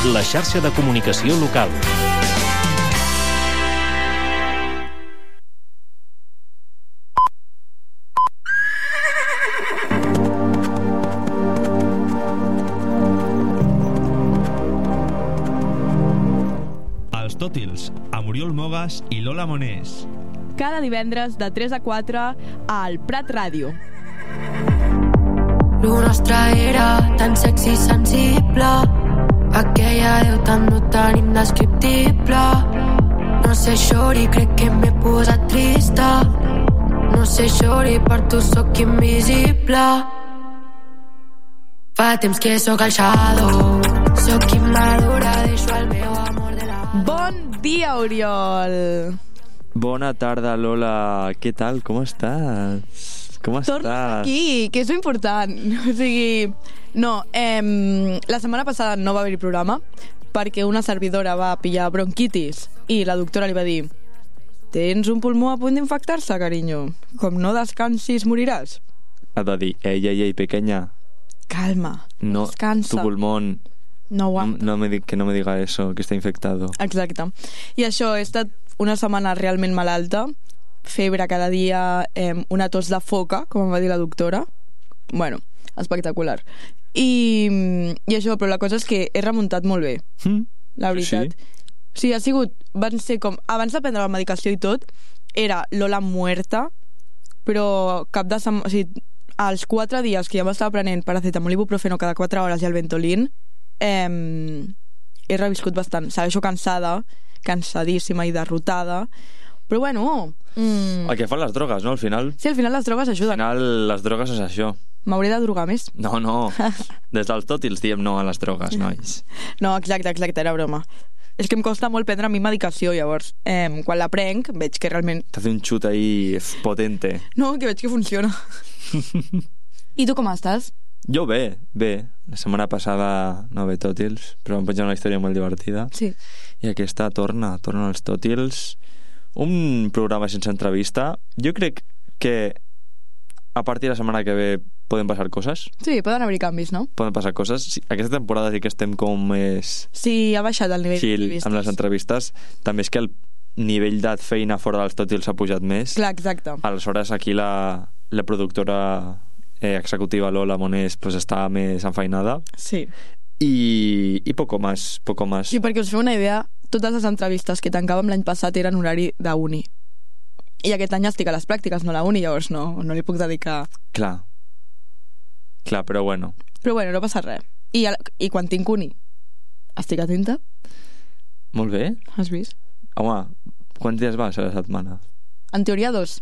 la xarxa de comunicació local. Els Tòtils, amb Oriol Mogas i Lola Monés. Cada divendres de 3 a 4 al Prat Ràdio. Lo nostre era tan sexy i sensible, aquella veu tan no tan indescriptible. No sé, xori, crec que m'he posat trista. No sé, xori, per tu sóc invisible. Fa temps que sóc el shadow, sóc immadura, deixo el meu amor de la... Bon dia, Oriol! Bona tarda, Lola. Què tal? Com estàs? Com estàs? Torna aquí, que és important. O sigui, no, la setmana passada no va haver-hi programa perquè una servidora va pillar bronquitis i la doctora li va dir: tens un pulmó a punt d'infectar-se, carinyo. Com no descansis, moriràs. Ha de dir, ei, pequeña. Calma, No, descansa. tu pulmón. No aguanta. Que no me diga eso, que está infectado. Exacte. I això, he estat una setmana realment malalta, febre cada dia, una tos de foca, com em va dir la doctora. Bueno, espectacular. I això, però la cosa és que he remuntat molt bé, la veritat. Sí, ha sigut, van ser com, abans de prendre la medicació i tot, era Lola muerta, però cap de setmana, o sigui, als 4 dies que ja m'estava prenent paracetamol i ibuprofeno cada 4 hores i el Ventolin, he reviscut bastant. Segueixo cansada, cansadíssima i derrotada, però bueno... El que fan les drogues, no? Al final... Sí, al final les drogues Al ajuden. final les drogues és això. M'hauré de drogar més? No. Des dels Tòtils diem no a les drogues, nois. No, exacte, era broma. És que em costa molt prendre a mi medicació, llavors, quan la prenc, veig que realment... T'hace un xut ahí potente. No, que veig que funciona. I tu com estàs? Jo bé. La setmana passada no ve Tòtils, però em penja una història molt divertida. Sí. I aquesta torna als Tòtils. Un programa sense entrevista. Jo crec que a partir de la setmana que ve poden passar coses. Sí, poden haver canvis, no? Poden passar coses. Sí, aquesta temporada sí que estem com més Sí, ha baixat el nivell chill d'entrevistes. amb les entrevistes. També és que el nivell de feina fora dels Tòtils ha pujat més. Clar, exacte. Aleshores aquí la productora executiva Lola Monés pues està més enfeinada Sí. i poco más. Sí, perquè us feu una idea, totes les entrevistes que tancàvem l'any passat eren horari d'uni. I aquest any estic a les pràctiques, no a la uni, llavors no li puc dedicar... Clar, però bueno. Però bueno, no passa res. I quan tinc uni, estic atenta? Molt bé. Has vist? Home, quants dies vas a la setmana? En teoria 2.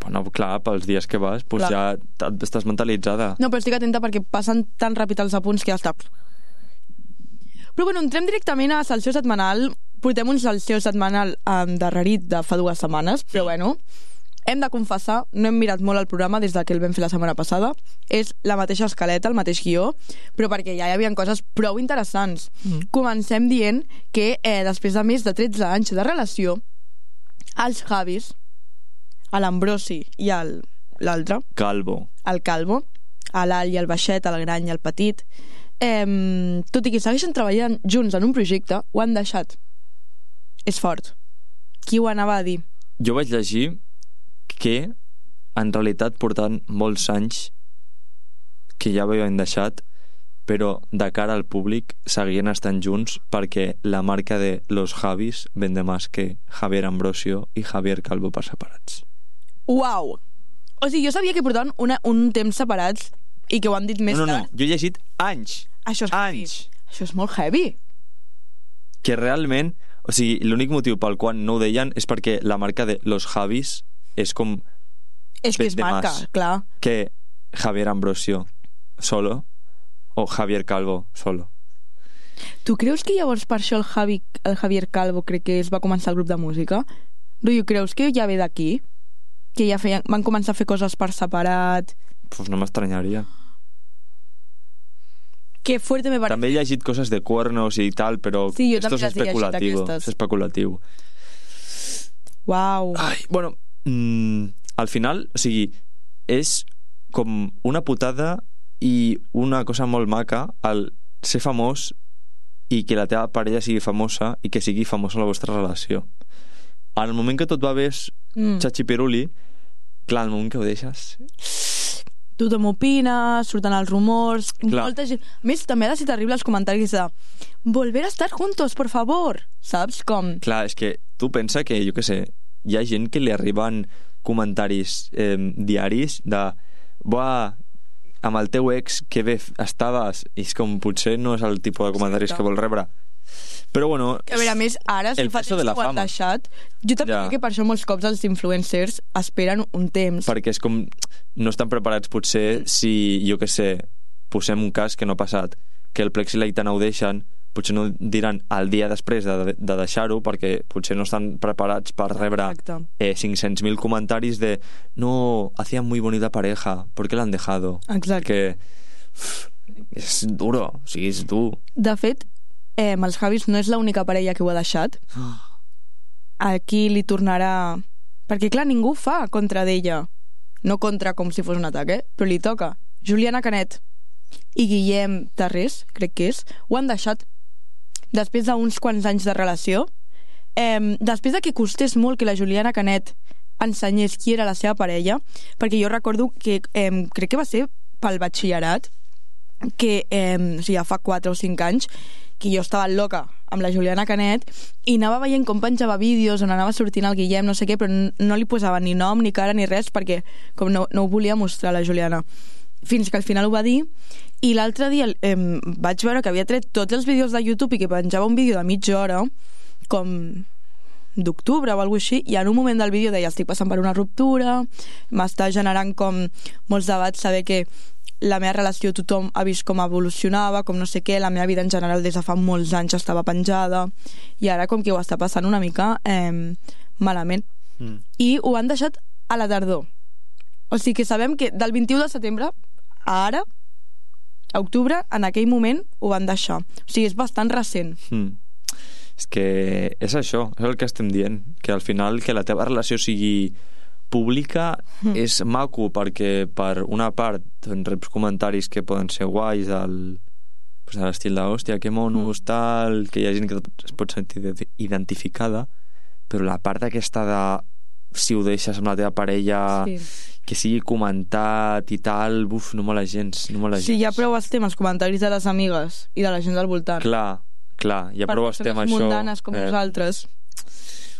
Bueno, clar, pels dies que vas pues Clar. ja estàs mentalitzada. No, però estic atenta perquè passen tan ràpid els apunts que ja està... Però bueno, entrem directament a Salseo Setmanal. Portem un Salseo Setmanal endarrerit de fa 2 setmanes, però bueno, hem de confessar, no hem mirat molt el programa des que el vam fer la setmana passada. És la mateixa escaleta, el mateix guió, però perquè ja hi havia coses prou interessants. Comencem dient que després de més de 13 anys de relació, els Javis, l'Ambrosi i l'altre, el Calvo, l'Alt i el Baixet, el Gran i el Petit, tot i que segueixen treballant junts en un projecte, ho han deixat. És fort. Qui ho anava a dir? Jo vaig llegir que en realitat portant molts anys que ja ho havien deixat, però de cara al públic seguien estant junts perquè la marca de los Javis vende más que Javier Ambrosio i Javier Calvo per separats. Uau! O sigui, jo sabia que portaven un temps separats i que ho han dit més No, tard. jo he llegit anys. Això és heavy. Anys. Això és molt heavy. Que realment, o sigui, l'únic motiu pel qual no ho deien és perquè la marca de los Javis és com És que és de marca, más clar. que Javier Ambrosio solo o Javier Calvo solo. Tu creus que llavors per això el Javier Calvo crec que es va començar el grup de música? Rotllo, creus que ja ve d'aquí? Que ja van començar a fer coses per separat? Pues no m'estranyaria. Que fuerte me parece. També he llegit coses de cuernos i tal, però Sí, jo esto també es les he llegit, especulativo. aquestes. És especulatiu. Uau. Ai, bueno, al final, o sigui, és com una putada i una cosa molt maca al ser famós i que la teva parella sigui famosa i que sigui famosa la vostra relació. En el moment que tot va bé és xatxipiruli, clar, al moment que ho deixes... Tothom opina, surten els rumors... Clar. Molta gent... A més, també ha de ser terrible els comentaris de volver a estar juntos, por favor. Saps com? Clar, és que tu pensa que, jo què sé, hi ha gent que li arriben comentaris diaris de buah, amb el teu ex que bé estaves, i és com potser no és el tipus de comentaris que vol rebre. Però bueno, A veure, a més, ara, si fa temps que ho han deixat, jo també crec que per això molts cops els influencers esperen un temps. Perquè és com... No estan preparats potser si, jo què sé, posem un cas que no ha passat, que el Plex i l'Aitana ho deixen, potser no diran el dia després de deixar-ho, perquè potser no estan preparats per rebre 500.000 comentaris de no, hacían muy bonita pareja, ¿por qué la han dejado? Exacte. Perquè és duro, o sigui, és dur. De fet, els Javis no és l'única parella que ho ha deixat. Aquí li tornarà... Perquè, clar, ningú fa contra d'ella. No contra com si fos un atac, però li toca. Juliana Canet i Guillem Tarrés, crec que és, ho han deixat després d'uns quants anys de relació. Després de que costés molt que la Juliana Canet ensenyés qui era la seva parella, perquè jo recordo que crec que va ser pel batxillerat, que o sigui, ja fa 4 o 5 anys, que jo estava loca amb la Juliana Canet i anava veient com penjava vídeos on anava sortint el Guillem, no sé què, però no li posava ni nom, ni cara, ni res, perquè com no ho volia mostrar la Juliana. Fins que al final ho va dir, i l'altre dia vaig veure que havia tret tots els vídeos de YouTube i que penjava un vídeo de mitja hora, com d'octubre o alguna així, i en un moment del vídeo deia estic passant per una ruptura, m'està generant com molts debats saber que la meva relació tothom ha vist com evolucionava, com no sé què, la meva vida en general des de fa molts anys estava penjada i ara com que ho està passant una mica malament. I ho han deixat a la tardor. O sigui que sabem que del 21 de setembre a ara, a octubre, en aquell moment ho van deixar. O sigui, és bastant recent. És que és això, és el que estem dient, que al final que la teva relació sigui pública és maco perquè per una part reps comentaris que poden ser guais de l'estil de hòstia, que monos, tal, que hi ha gent que es pot sentir identificada, però la part aquesta de si ho deixes amb la teva parella que sigui comentat i tal, no mola gens, no mola gens. Sí, ja prou estem els comentaris de les amigues i de la gent del voltant. Clar, ja prou estem això. Per persones mundanes com nosaltres.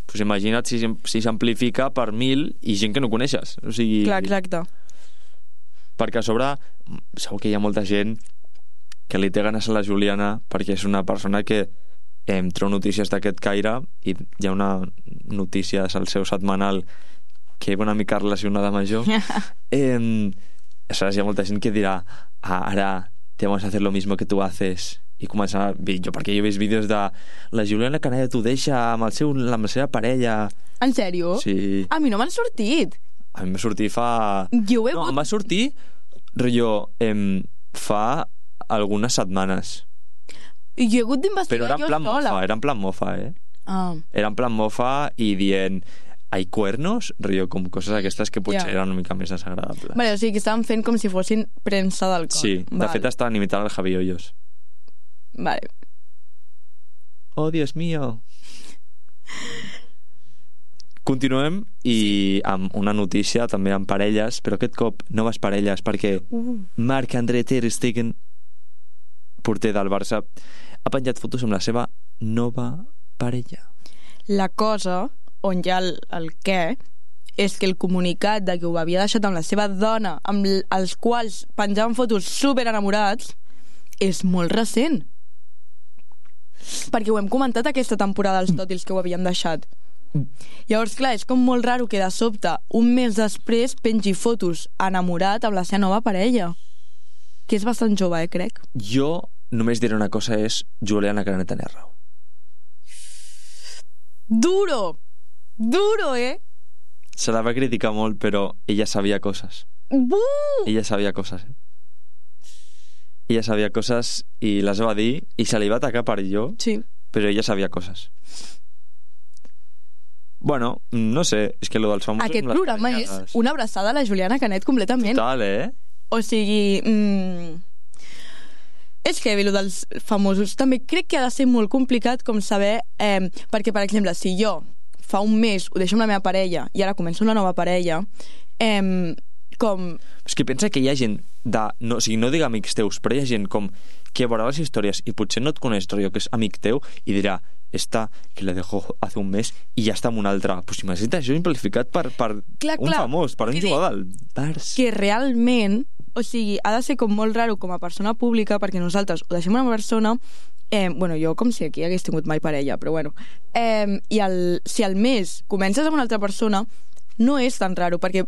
Pues imagina't si s'amplifica per 1.000 i gent que no coneixes, o sigui... Clar, exacte. Perquè a sobre segur que hi ha molta gent que li té ganes a la Juliana perquè és una persona que treu notícies d'aquest caire i hi ha una notícia al seu setmanal que és una mica relacionada amb això. Aleshores hi ha molta gent que dirà ara te vamos a hacer lo mismo que tú haces, i començar jo, perquè jo he vist vídeos de la Juliana Canet ho deixa amb la seva parella. En sèrio? Sí. A mi no m'han sortit. A mi m'ha sortit fa... No, em va sortir fa algunes setmanes. I jo he hagut d'investigar jo sola. Era en plan mofa, Era en plan mofa i dient hay cuernos, com coses aquestes que potser eren una mica més desagradables. Vale, o sigui que estaven fent com si fossin premsa d'alcohol. Sí, de fet estaven imitant el Javi Hoyos. Vale. Oh, Dios mío. Continuem i amb una notícia també amb parelles, però aquest cop noves parelles, perquè Marc-André Ter Stegen, porter del Barça, ha penjat fotos amb la seva nova parella. La cosa, on hi ha el què, és que el comunicat de que ho havia deixat amb la seva dona, amb els quals penjaven fotos super enamorats, és molt recent. Perquè ho hem comentat aquesta temporada als Tòtils que ho havien deixat. Llavors, clar, és com molt raro que de sobte, un mes després, pengi fotos enamorat amb la seva nova parella. Que és bastant jove, crec. Jo només diré una cosa, és Juliana Canet tenia raó. Duro, Se la va criticar molt, però ella sabia coses. Ella sabia coses, Ella sabia coses i les va dir i se li va atacar per allò, però ella sabia coses. Bueno, no sé, és que lo dels famosos... Aquest programa és una abraçada a la Juliana Canet completament. Total, O sigui... És heavy, allò dels famosos. També crec que ha de ser molt complicat com saber... perquè, per exemple, si jo fa un mes ho deixo amb la meva parella i ara començo una nova parella, com... És que pensa que hi ha gent no dic amics teus, però hi ha gent com que veurà les històries i potser no et coneix, jo que és amic teu, i dirà, esta que la dejó hace un mes i ja està amb un altre. Pues imagina't això simplificat per un famós, per un jugador del Barça. Que realment, o sigui, ha de ser com molt raro com a persona pública, perquè nosaltres ho deixem una persona, jo com si aquí hagués tingut mai parella, però bueno, i si al mes comences amb una altra persona, no és tan raro, perquè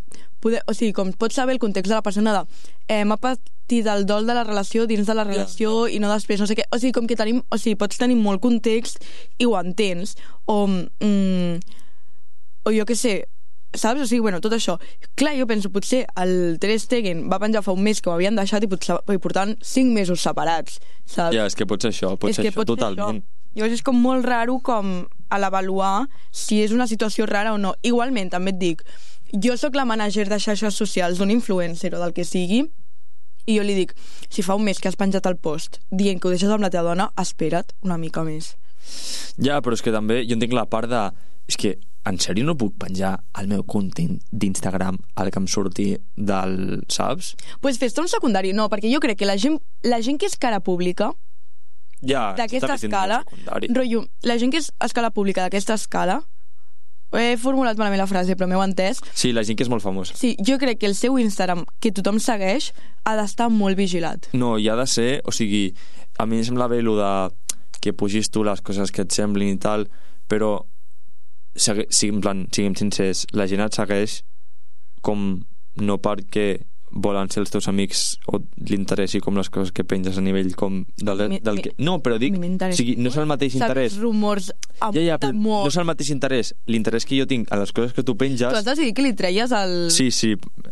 com pots saber el context de la persona m'ha patit el dol de la relació dins de la relació i no després, no sé què, o sigui, com que pots tenir molt context i ho entens, o jo què sé, saps? O sigui, bueno, tot això. Clar, jo penso, potser el Ter Stegen va penjar fa un mes que ho havien deixat i portaven 5 mesos separats, saps? Ja, és que pot ser això, totalment. Llavors és com molt raro com a l'avaluar si és una situació rara o no. Igualment, també et dic, jo sóc la manager de xarxes socials d'un influencer o del que sigui, i jo li dic, si fa un mes que has penjat el post dient que ho deixes amb la teva dona, espera't una mica més. Ja, però és que també jo entenc la part de... És que, en sèrio no puc penjar el meu content d'Instagram al que em surti del... Saps? Pues fes-te un secundari, no, perquè jo crec que la gent que és cara pública d'aquesta escala, rotllo, la gent que és escala pública d'aquesta escala, he formulat malament la frase però m'heu entès. Sí, la gent que és molt famosa. Sí, jo crec que el seu Instagram, que tothom segueix, ha d'estar molt vigilat. No, i ha de ser, o sigui, a mi em sembla bé el de que pugis tu les coses que et semblin i tal, però siguem sincers, la gent et segueix com no perquè volen ser els teus amics o l'interessi com les coses que penges a nivell com del que... No, però dic, o sigui, no és el mateix interès. Saps rumors però no és el mateix interès. L'interès que jo tinc a les coses que tu penges... Tu has decidit que li treies el... Sí,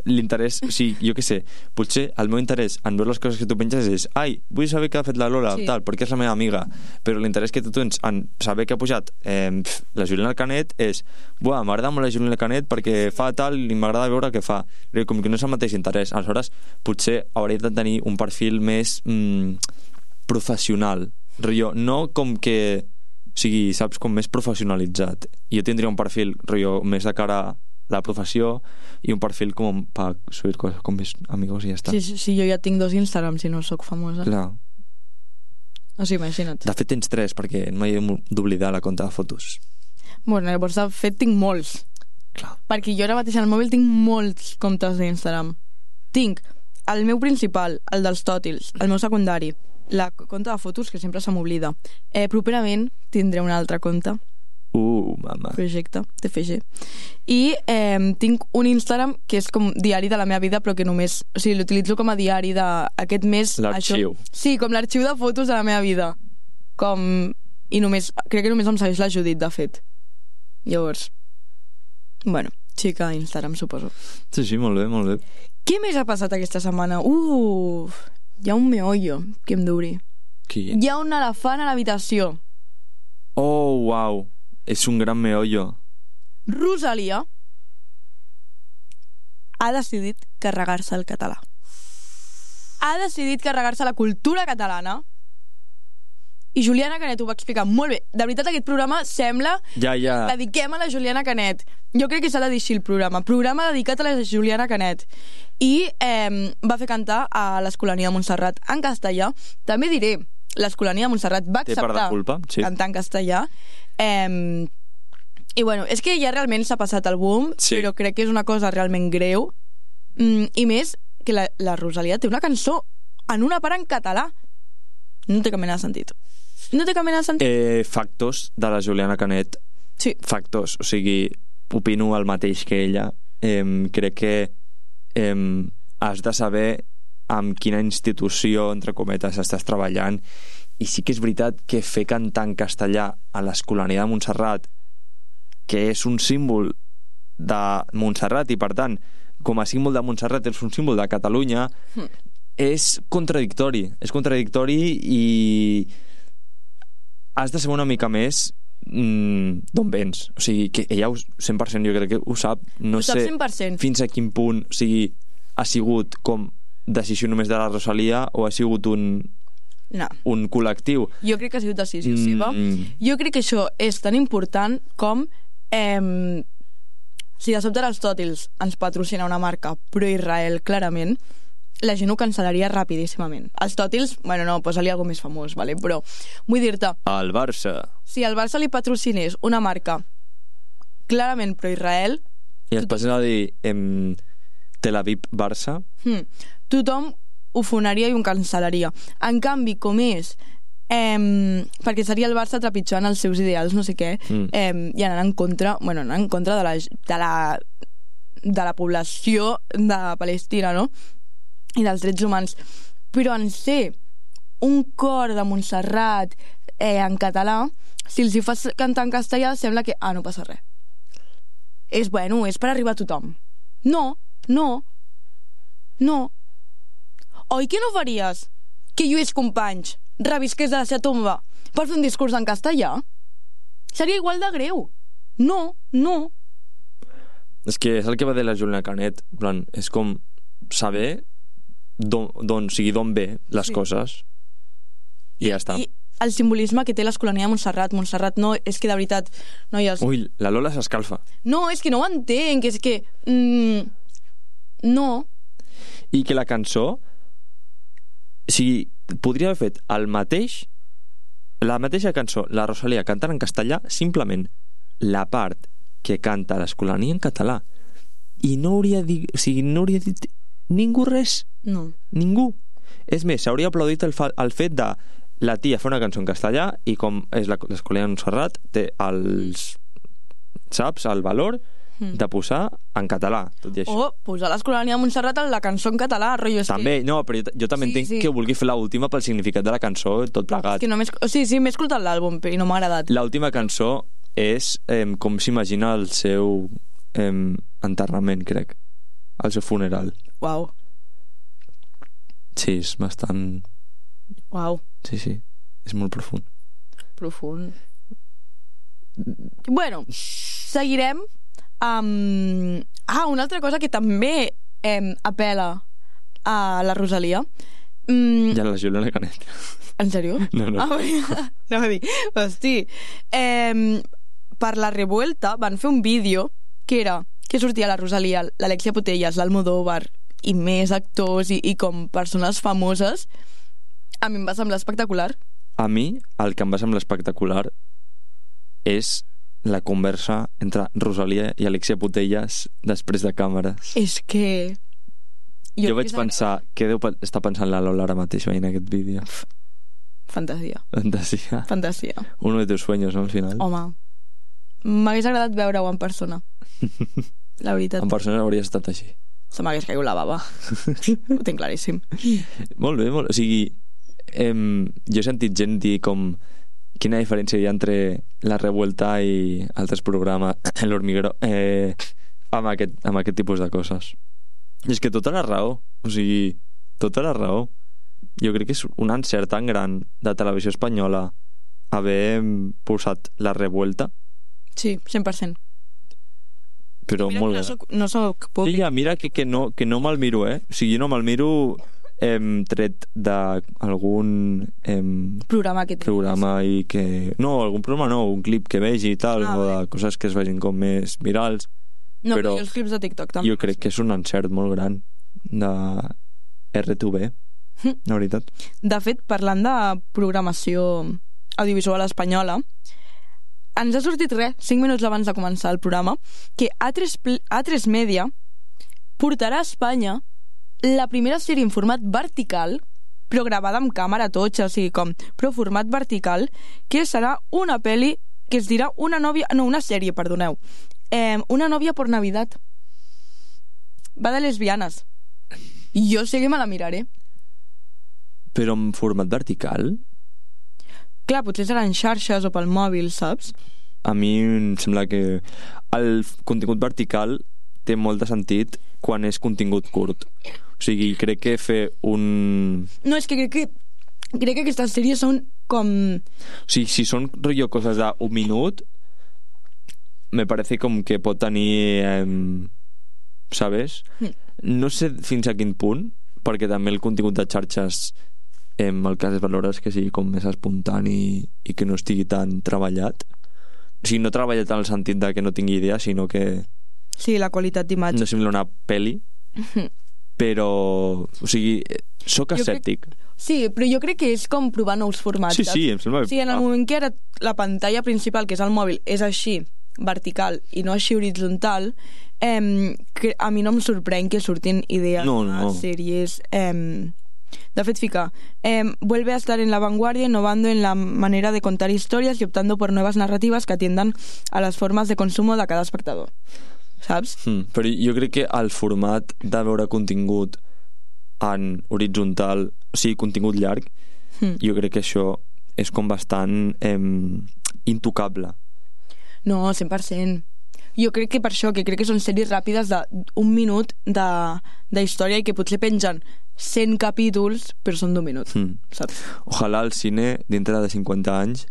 l'interès... O sigui, jo què sé, potser el meu interès en veure les coses que tu penges és vull saber què ha fet la Lola, tal, perquè és la meva amiga, però l'interès que tu tens en saber què ha pujat la Juliana Canet és m'agrada molt la Juliana Canet perquè fa tal i m'agrada veure què fa. Com que no és el mateix interès. Aleshores, potser hauria de tenir un perfil més professional. No com que... O sigui, saps, com més professionalitzat. Jo tindria un perfil, més de cara a la professió i un perfil com per subir coses com més amigos i ja està. Sí, jo ja tinc 2 Instagrams i no sóc famosa. Clar. O sigui, imagina't. De fet, tens 3, perquè no m'he d'oblidar la compte de fotos. Bueno, llavors, de fet, tinc molts. Clar. Perquè jo ara mateix al mòbil tinc molts comptes d'Instagram. Tinc el meu principal, el dels tòtils, el meu secundari, la compte de fotos, que sempre se m'oblida. Properament tindré una altra compte. Mama. Projecte, TFG. I tinc un Instagram que és com diari de la meva vida, però que només... O sigui, l'utilitzo com a diari d'aquest mes... L'arxiu. Sí, com l'arxiu de fotos de la meva vida. I només... Crec que només em segueix la Judit, de fet. Llavors... Bueno, xica Instagram, suposo. Sí, molt bé, molt bé. Què més ha passat aquesta setmana? Hi ha un meollo que em duri. Qui? Hi ha un elefant a l'habitació. Oh, uau. És un gran meollo. Rosalia ha decidit carregar-se el català. Ha decidit carregar-se la cultura catalana. I Juliana Canet ho va explicar molt bé. De veritat, aquest programa sembla... Ja. Dediquem a la Juliana Canet. Jo crec que s'ha de dir així el programa. Programa dedicat a la Juliana Canet. I va fer cantar a l'Escolania de Montserrat en castellà. També diré, l'Escolania de Montserrat va acceptar cantar en castellà. I bueno, és que ja realment s'ha passat el boom, però crec que és una cosa realment greu. I més, que la Rosalia té una cançó en una part en català. No té cap mena de sentit. No té cap mena de sentit. Factos de la Juliana Canet. Sí. Factos, o sigui, opino el mateix que ella. Crec que has de saber amb quina institució, entre cometes, estàs treballant, i sí que és veritat que fer cantar en castellà a l'Escolania de Montserrat, que és un símbol de Montserrat i per tant com a símbol de Montserrat és un símbol de Catalunya, és contradictori i has de saber una mica més d'on vens, o sigui, que ella 100% jo crec que ho sap, no sé 100%. Fins a quin punt, o sigui, ha sigut com decisió només de la Rosalia o ha sigut un No. un col·lectiu. Jo crec que ha sigut decisió seva. Jo crec que això és tan important com si de sobte Aristòtils ens patrocina una marca pro-Israel, clarament, la gent ho cancel·laria rapidíssimament. Aristòtils, bueno, no, posa-li alguna més famós, vale? Però vull dir-te... Al Barça. Si al Barça li patrocinés una marca clarament pro-Israel... I es passen a dir Tel Aviv-Barça. Tothom ho fonaria i ho cancel·laria. En canvi, com és... perquè seria el Barça trepitjant els seus ideals, no sé què, i anant en contra, bueno, anant en contra de la població de Palestina, no? I dels drets humans. Però en ser un cor de Montserrat en català, si els hi fas cantar en castellà, sembla que, no passa res. És bueno, és per arribar a tothom. No. Oi que no faries que Lluís Companys revisqués de la seva tomba per fer un discurs en castellà? Seria igual de greu. No. És que és el que va dir la Juliana Canet. En plan, és com saber d'on ve les coses i ja està. I el simbolisme que té l'Escolania de Montserrat. Montserrat no, és que de veritat, noies... Ui, la Lola s'escalfa. No, és que no ho entenc, és que... no. I que la cançó... O sigui, podria haver fet la mateixa cançó, la Rosalía cantant en castellà, simplement la part que canta l'Escolania en català. I no hauria dit... O sigui, no hauria dit ningú res. No. Ningú. És més, s'hauria aplaudit el fet de la tia fer una cançó en castellà i com és l'Escolania de Montserrat té saps, el valor de posar en català, tot i això. O posar l'Escolania de Montserrat en la cançó en català, rotllo. També, no, però jo també entenc que vulgui fer l'última pel significat de la cançó, tot plegat. És que no m'he escoltat l'àlbum i no m'ha agradat. L'última cançó és com s'imagina el seu enterrament, crec. El seu funeral. Uau. Sí, és bastant... Uau. Sí, és molt profund. Bueno, seguirem amb... una altra cosa que també apela a la Rosalia. Ja la Juliana Canet. En sèrio? No. No va dir. Hosti. Per la Revuelta van fer un vídeo que sortia la Rosalia, l'Alexia Putellas, l'Almodóvar i més actors i com persones famoses. A mi em va semblar espectacular. A mi el que em va semblar espectacular és la conversa entre Rosalia i Alexia Putellas després de càmeres. És que... Jo vaig pensar, què deu estar pensant la Lola ara mateix veient aquest vídeo? Fantasia. Uno de tus sueños, no, al final? Home, m'hagués agradat veure-ho en persona. La veritat. En persona hauria estat així. Se m'hagués caigut la bava. Ho tinc claríssim. Molt bé, o sigui, jo he sentit gent dir com quina diferència hi ha entre La Revuelta i altres programes, l'Hormiguero, amb aquest tipus de coses. I és que tota la raó, o sigui, tota la raó. Jo crec que és un encert tan gran de Televisió Espanyola haver posat La Revuelta. Sí, 100%. Però mira, molt... no soc públic. Sí, ja, mira que no me'l miro, O sigui, no me'l miro tret d'algun programa que tens. I que... No, algun programa no, un clip que vegi i tal, o de coses que es vegin com més virals. No, però els clips de TikTok també. Jo crec que és un encert molt gran de RTV, la veritat. De fet, parlant de programació audiovisual espanyola, ens ha sortit 5 minuts abans de començar el programa, que A3 Media portarà a Espanya la primera sèrie en format vertical, però gravada amb càmera totxa, o sigui com, però format vertical, que serà una pel·li que es dirà una sèrie, perdoneu. Una novia por Navidad. Va de lesbianes. Jo sé que me la miraré. Però en format vertical? Clar, potser seran xarxes o pel mòbil, saps? A mi em sembla que el contingut vertical té molt de sentit quan és contingut curt. O sigui, crec que fer un... No, és que crec que aquestes sèries són com... O sigui, si són rotllo coses d'un minut, me parece com que pot tenir... ¿sabes? No sé fins a quin punt, perquè també el contingut de xarxes el que has de valorar és que sigui com més espontani i que no estigui tan treballat. O sigui, no treballat en el sentit de que no tingui idea, sinó que Sí, la qualitat d'imatge. no sembla una pel·li, però, o sigui, sóc escèptic. Sí, però jo crec que és com provar nous formats. Sí, sí, em sembla... O sigui, en el moment que ara la pantalla principal, que és el mòbil, és així, vertical, i no així horitzontal, que a mi no em sorprèn que surtin idees No. sèries... De fet, fica, vuelve a estar en la vanguardia, innovando en la manera de contar historias y optando por nuevas narrativas que atiendan a las formas de consumo de cada espectador. Saps? Però jo crec que el format de veure contingut en horitzontal, o sigui, contingut llarg, jo crec que això és com bastant intocable. No, 100%. Jo crec que per això, que crec que són sèries ràpides d'un minut de història i que potser pengen 100 capítols, però són d'un minut, saps? Ojalà el cine, dintre de 50 anys,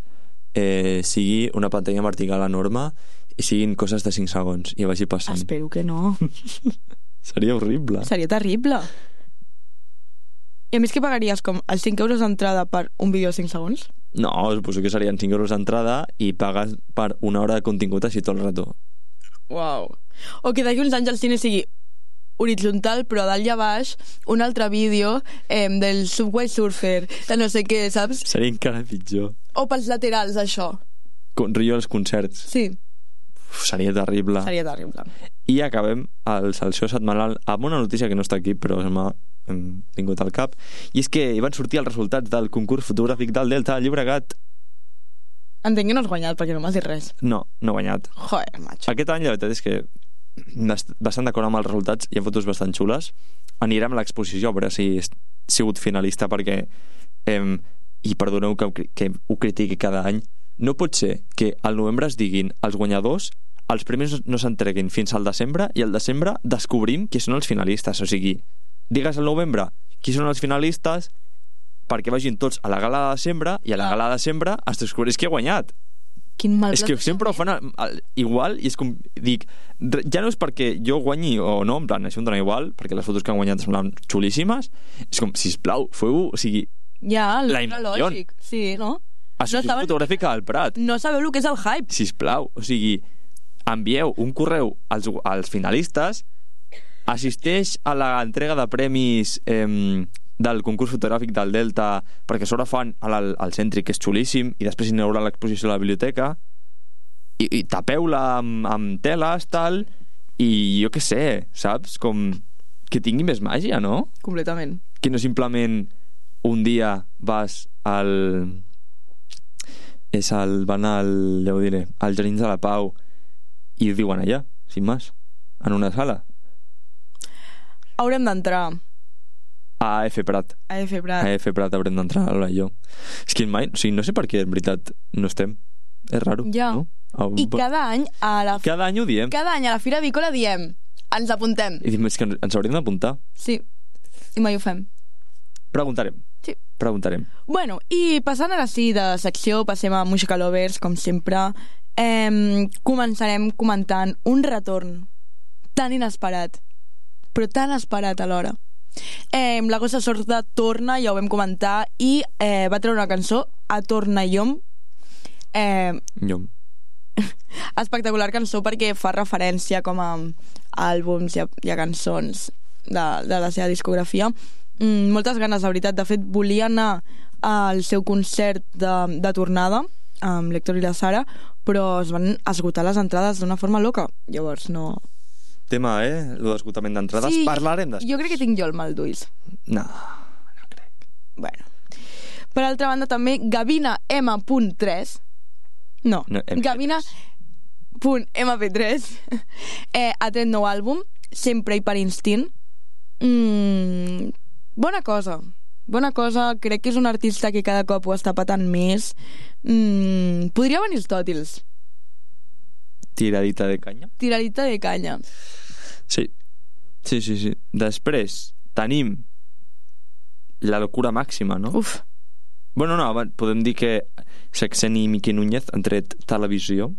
sigui una pantalla vertical enorme i siguin coses de 5 segons i vagi passant. Espero que no. Seria horrible. Seria terrible. I a més que pagaries com els 5 euros d'entrada per un vídeo de 5 segons? No, suposo que serien 5 euros d'entrada i pagues per una hora de contingut així tot el rato. Uau. O que d'aquí uns anys el cine sigui horitzontal, però dalt i a baix un altre vídeo del Subway Surfer, de no sé què, saps? Seria encara pitjor. O pels laterals, això. Com rio als concerts. Sí. Seria terrible. Seria terrible. I acabem el Salseo setmanal amb una notícia que no està aquí, però se m'ha vingut al cap. I és que hi van sortir els resultats del concurs fotogràfic del Delta de Llobregat. Entenc que no has guanyat, perquè no m'has dit res. No he guanyat. Joder, macho. Aquest any la veritat és que bastant d'acord amb els resultats, hi ha fotos bastant xules. Anirem a l'exposició a veure si he sigut finalista, perquè i perdoneu que ho critiqui cada any, no pot ser que al novembre es diguin els guanyadors, els premis no s'entreguin fins al desembre i al desembre descobrim qui són els finalistes. O sigui, digues al novembre qui són els finalistes perquè vagin tots a la gala de desembre i a la gala de desembre es descobreix qui ha guanyat. Quin mal És que sempre ho fan igual i és com, dic, ja no és perquè jo guanyi o no, en plan, això em dona igual, perquè les fotos que han guanyat semblen xulíssimes, és com, sisplau, feu-ho, o sigui, ja, la inversió. lògic, sí, no? Associació Fotogràfica del Prat. No sabeu el que és el hype. Sisplau, o sigui, envieu un correu als finalistes, assisteix a l'entrega de premis del concurs fotogràfic del Delta, perquè a sobre fan al Cèntric, que és xulíssim, i després hi haurà l'exposició a la biblioteca, i tapeu-la amb teles, tal, i jo què sé, saps? Com que tingui més màgia, no? Completament. Que no simplement un dia vas van ja ho diré, als Jardins de la Pau i ho diuen allà, sin más, en una sala. Haurem d'entrar A AF Prat. a F Prat. A AF Prat haurem d'entrar ara jo. És que mai, o sigui, no sé per què en veritat no estem. És raro, Ja. no? I cada any Cada any ho diem. cada any a la Fira Avícola diem ens apuntem. I diem, és que ens hauríem d'apuntar. Sí, i mai ho fem. Preguntarem. Sí. Preguntarem. Bueno, i passant ara sí de secció, passem a Música Lovers, com sempre. Començarem comentant un retorn tan inesperat, però tan esperat alhora. La Gossa Sorda torna, ja ho vam comentar, i va treure una cançó, A Torna Llom. Llom. Espectacular cançó perquè fa referència com a àlbums i a cançons de la seva discografia. Moltes ganes, la veritat. De fet, volia anar al seu concert de tornada amb l'Héctor i la Sara, però es van esgotar les entrades d'una forma loca. Llavors no... Tema, lo d'esgotament d'entrades. Sí, Parlarem després. jo crec que tinc jo el mal d'ulls. No crec. Bueno. Per altra banda, també Gavina M.3. No, MP3. Gavina.mp3 ha tret nou àlbum, Sempre i per instint. Bona cosa, crec que és un artista que cada cop ho està patant més. Podria venir els Tòtils. Tiradita de canya. Tiradita de canya. Sí. Després tenim la locura màxima, no? Uf. Bueno, no, podem dir que Sexen i Miqui Núñez han tret televisió.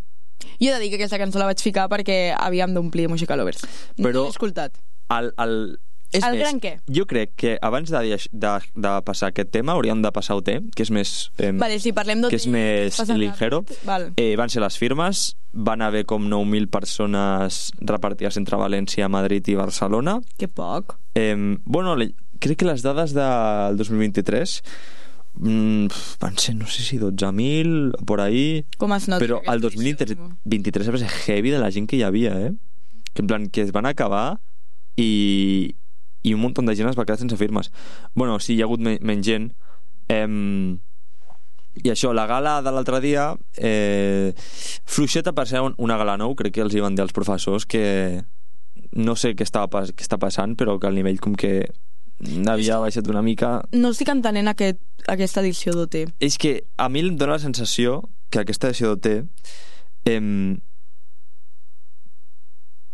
Jo he de dir que aquesta cançó la vaig ficar perquè havíem d'omplir Música Lovers. Però no l'he escoltat. El gran què? Jo crec que abans de passar aquest tema hauríem de passar OT, que és més... Vale, sí, parlem d'OT. Que és més ligero. Val. Van ser les firmes, van haver com 9.000 persones repartides entre València, Madrid i Barcelona. Que poc. Bueno, crec que les dades del 2023 van ser, no sé si 12.000 por ahí, com es nota, però el 2023 va ser heavy de la gent que hi havia, que en plan que es van acabar i un munt de gent es va quedar sense firmes. Bueno, sí, hi ha hagut menys gent. I això, la gala de l'altre dia, fluixeta per ser una gala nou. Crec que els hi van dir als professors que no sé què està passant, però que el nivell com que havia baixat una mica. No estic entenent aquesta edició d'OT. És que a mi em dóna la sensació que aquesta edició d'OT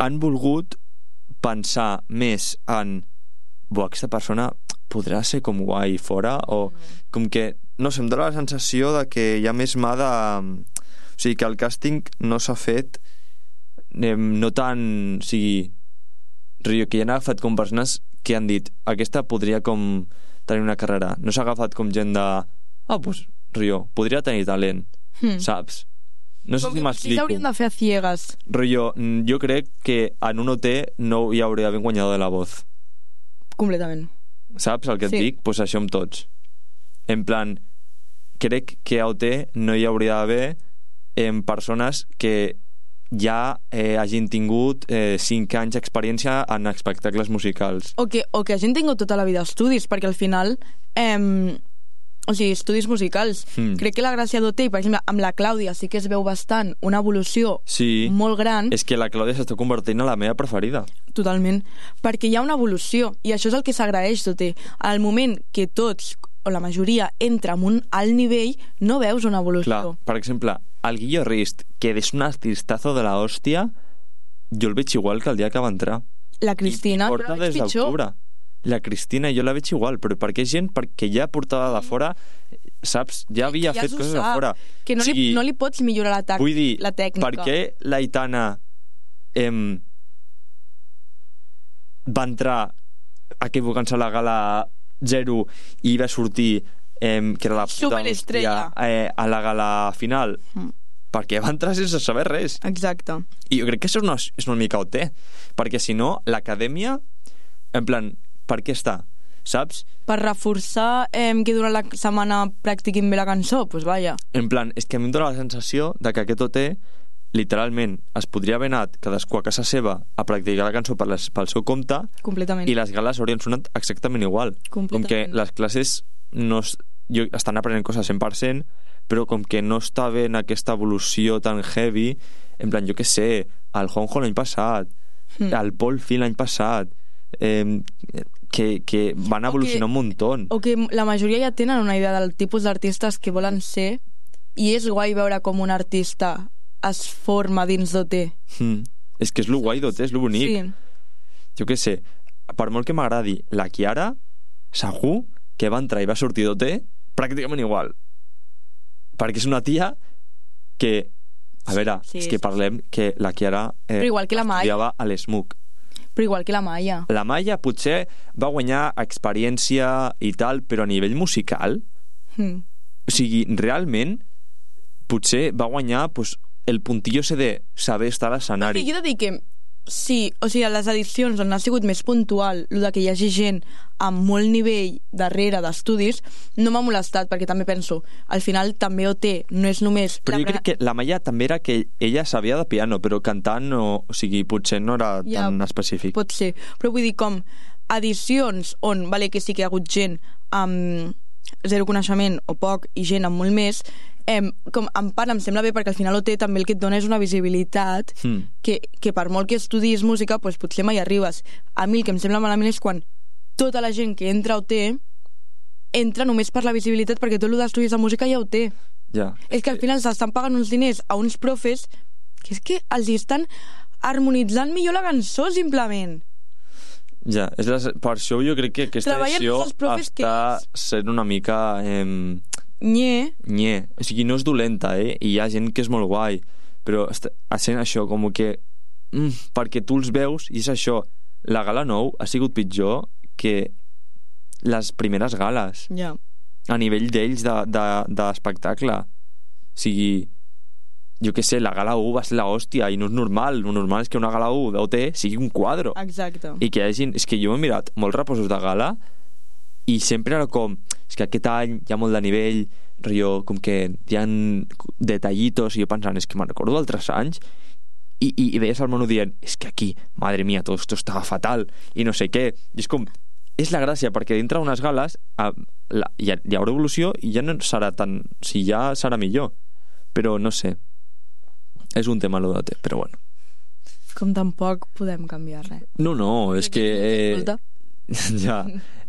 han volgut pensar més en aquesta persona podrà ser com guai fora, o com que, no sé, em dóna la sensació de que hi ha més mà de... O sigui, que el càsting no s'ha fet no tan... O sigui, que hi han agafat com persones que han dit aquesta podria com tenir una carrera. No s'ha agafat com gent de... Pues, podria tenir talent, saps? No sé si m'explico. Sí, s'haurien de fer a ciegas. Jo crec que en un OT no hi hauria d'haver un guanyador de La Voz. Completament. Saps el que et dic? Pues això amb tots. En plan, crec que a OT no hi hauria d'haver persones que ja hagin tingut 5 anys d'experiència en espectacles musicals. O que hagin tingut tota la vida estudis, perquè al final... o sigui, estudis musicals. Crec que la gràcia d'OT, per exemple, amb la Clàudia sí que es veu bastant una evolució molt gran. És que la Clàudia s'està convertint en la meva preferida. Totalment. Perquè hi ha una evolució, i això és el que s'agraeix d'OT. Al moment que tots, o la majoria, entra en un alt nivell, no veus una evolució. Clar, per exemple, el Guillo Rist, que és un artistazo de la hòstia, jo el veig igual que el dia que va entrar. La Cristina, I porta des d'octubre. La Cristina jo la veig igual, però perquè és gent que ja portava de fora, saps? Ja havia fet coses de fora. Que no, no li pots millorar la tècnica. Vull dir, per què l'Aitana va entrar equivocant-se a la gala 0 i va sortir que era la puta superestrella a la gala final? Perquè va entrar sense saber res. Exacte. I jo crec que això és una mica OT, perquè si no, l'acadèmia, en plan, per què està? Saps? Per reforçar que durant la setmana practiquin bé la cançó, doncs vaja. En plan, és que a mi em dóna la sensació de que aquest OT literalment es podria haver anat cadascú a casa seva a practicar la cançó pel seu compte. Completament. I les gales haurien sonat exactament igual. Com que les classes estan aprenent coses 100%, però com que no està havent aquesta evolució tan heavy, en plan, jo què sé, el Juanjo l'any passat, el Pol Fi l'any passat, que van evolucionar un muntó. O que la majoria ja tenen una idea del tipus d'artistes que volen ser, i és guai veure com un artista es forma dins d'OT. És que és lo guai d'OT, és lo bonic. Sí. Jo què sé, per molt que m'agradi la Chiara, segur que va entrar i va sortir d'OT pràcticament igual, perquè és una tia que, a veure, és que parlem que la Chiara estudiava a l'ESMUC. Però igual que la Maia. La Maia potser va guanyar experiència i tal, però a nivell musical, o sigui, realment potser va guanyar el puntillo ese de saber estar a l'escenari. Jo he de dir que sí, o sigui, a les edicions on ha sigut més puntual el que hi hagi gent amb molt nivell darrere d'estudis, no m'ha molestat, perquè també penso, al final també OT no és només... Però jo crec que la Maia també era que ella sabia de piano, però cantant no, o sigui, potser no era tan específic. Pot ser, però vull dir, com edicions on, vale, que sí que hi ha hagut gent amb zero coneixement o poc i gent amb molt més, com en part em sembla bé, perquè al final OT també el que et dona és una visibilitat que per molt que estudis música potser mai arribes. A mi el que em sembla malament és quan tota la gent que entra a OT entra només per la visibilitat, perquè tot el d'estudis de música ja ho té. És que al final s'estan pagant uns diners a uns profes que és que els estan harmonitzant millor la cançó, simplement. Per això jo crec que aquesta edició està sent una mica... Nye. O sigui, no és dolenta, i hi ha gent que és molt guai, però està sent això, com que perquè tu els veus i és això, la gala 9 ha sigut pitjor que les primeres gales. Ja. A nivell d'ells d'espectacle. O sigui, jo què sé, la gala 1 va ser l'hòstia i no és normal. El normal és que una gala 1 d'OT sigui un quadro. Exacte. I que hi hagi... És que jo m'he mirat molts reposos de gala i sempre era com... És que aquest any hi ha molt de nivell, rotllo, com que hi ha detallitos, i jo pensant, és que me'n recordo d'altres anys i veies el menú dient, és que aquí, madre mía, todo esto estava fatal i no sé què. I és com... És la gràcia, perquè dintre d'unes gales hi haurà evolució i ja no serà tan... O sigui, ja serà millor. Però no sé. És un tema l'ODT, però bueno. Com tampoc podem canviar res. No, és que... Escolta. Ja,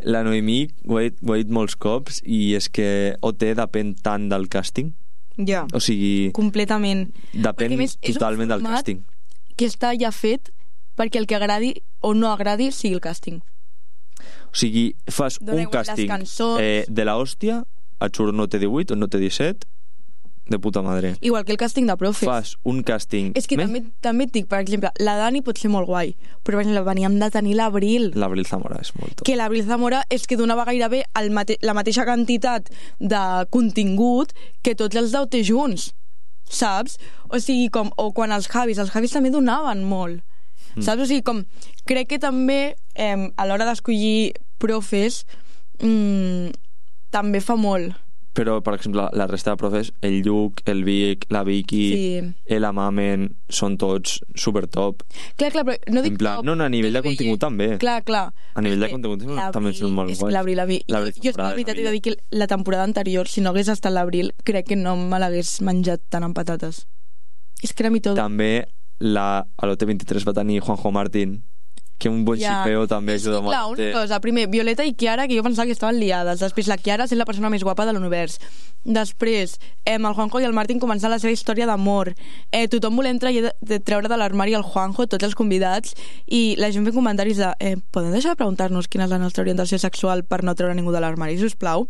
la Noemí ho he dit molts cops i és que OT depèn tant del càsting. Ja. O sigui... Completament. Depèn totalment del càsting. Que està ja fet perquè el que agradi o no agradi sigui el càsting. O sigui, fas un càsting de la hòstia, et surt no T18 o no T17, de puta madre. Igual que el càsting de profes. Fas un càsting... És que també et dic, per exemple, la Dani pot ser molt guai, però per exemple, veníem de tenir l'Abril. L'Abril Zamora és molt top. Que l'Abril Zamora és que donava gairebé la mateixa quantitat de contingut que tots els d'OT junts, saps? O sigui, o quan els Javis també donaven molt. Saps? O sigui, crec que també a l'hora d'escollir profes també fa molt. Però, per exemple, la resta de profes, el Lluc, el Vic, la Vicky, la Mamen, són tots supertop. Clar, però no dic top. No, a nivell de contingut també. Clar. A nivell de contingut també són molt guais. L'Abril. Jo és que la veritat he de dir que la temporada anterior, si no hagués estat l'Abril, crec que no me l'hagués menjat tant amb patates. És que era mi tot. També a l'OT23 va tenir Juanjo Martín, que un bon xipeo també ajuda molt. Clar, una cosa, primer, Violeta i Chiara, que jo pensava que estaven liades. Després, la Chiara sent la persona més guapa de l'univers. Després, el Juanjo i el Martín començant la seva història d'amor. Tothom volent treure de l'armari el Juanjo, tots els convidats, i la gent fent comentaris de podem deixar de preguntar-nos quina és la nostra orientació sexual per no treure ningú de l'armari, sisplau?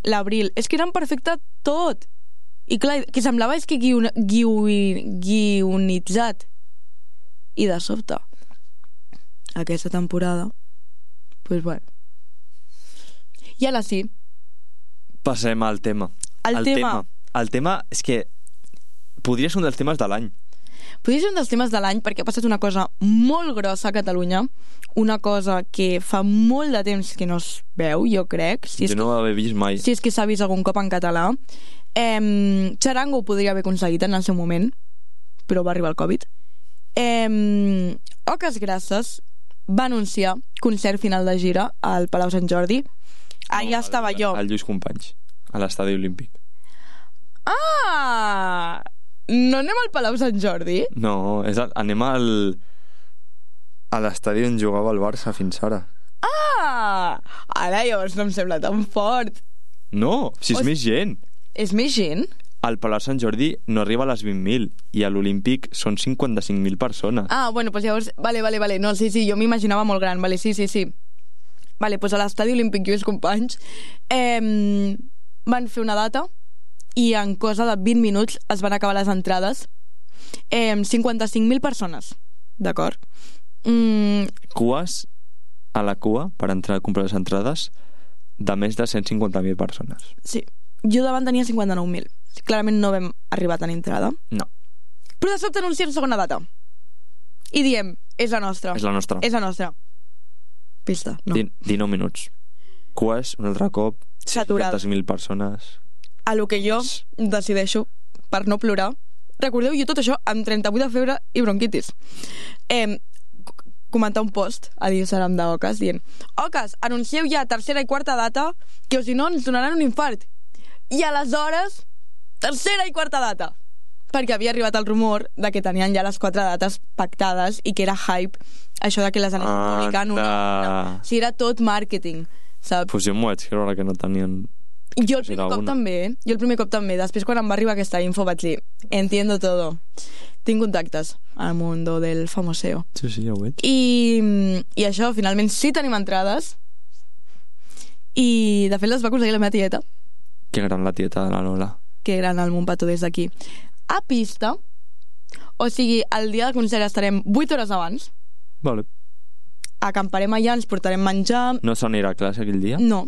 L'Abril, és que eren perfecte tot. I clar, que semblava és que guionitzat. I de sobte aquesta temporada pues bueno. I ara sí, passem al tema. El tema és que podria ser un dels temes de l'any. Podria ser un dels temes de l'any perquè ha passat una cosa molt grossa a Catalunya, una cosa que fa molt de temps que no es veu, jo crec, no ho havia vist mai. Si és que s'ha vist algun cop en català. Charango ho podria haver aconseguit en el seu moment, però va arribar el Covid. Oques Grasses va anunciar concert final de gira al Palau Sant Jordi. Allà estava jo. Al Lluís Companys, a l'Estadi Olímpic. Ah! No anem al Palau Sant Jordi? No, anem a l'estadi on jugava el Barça fins ara. Ah! Ara llavors no em sembla tan fort. No, si és més gent. És més gent? Al Palau Sant Jordi no arriba a les 20.000 i a l'Olímpic són 55.000 persones. Ah, bueno, pues llavors... Vale, no, sí, jo m'imaginava molt gran, vale, sí. Vale, pues a l'Estadi Olímpic Lluís Companys van fer una data i en cosa de 20 minuts es van acabar les entrades. 55.000 persones, d'acord? Cues a la cua per entrar a comprar les entrades de més de 150.000 persones. Sí, jo davant tenia 59.000. Clarament no vam arribar a tenir entrada. No. Però de sobte anunciem segona data. I diem, és la nostra. És la nostra. Pista, no. 19 minuts. Cues, un altre cop, 50.000 persones. A lo que jo decideixo, per no plorar, recordeu, jo tot això amb 38 de febre i bronquitis. Comentar un post a l'Instagram d'Oques dient: Oques, anuncieu ja tercera i quarta data, que o si no ens donaran un infart. I aleshores, tercera i quarta data, perquè havia arribat el rumor de que tenien ja les 4 dates pactades i que era hype això de que les anessin publicant una. O sigui, era tot màrqueting, saps? Pues jo m'ho vaig creure que no tenien. Jo el primer cop també. Després, quan em va arribar aquesta info, vaig dir: entiendo todo. Tinc contactes al mundo del famoseo. Sí, ja ho veig. I això, finalment sí tenim entrades. I de fet les va aconseguir la meva tieta. Que gran la tieta de la Lola. Que gran el Montpato des d'aquí. A pista, o sigui, el dia del concert estarem 8 hores abans. Vale. acamparem allà, ens portarem menjar... No s'anirà a classe aquell dia? No.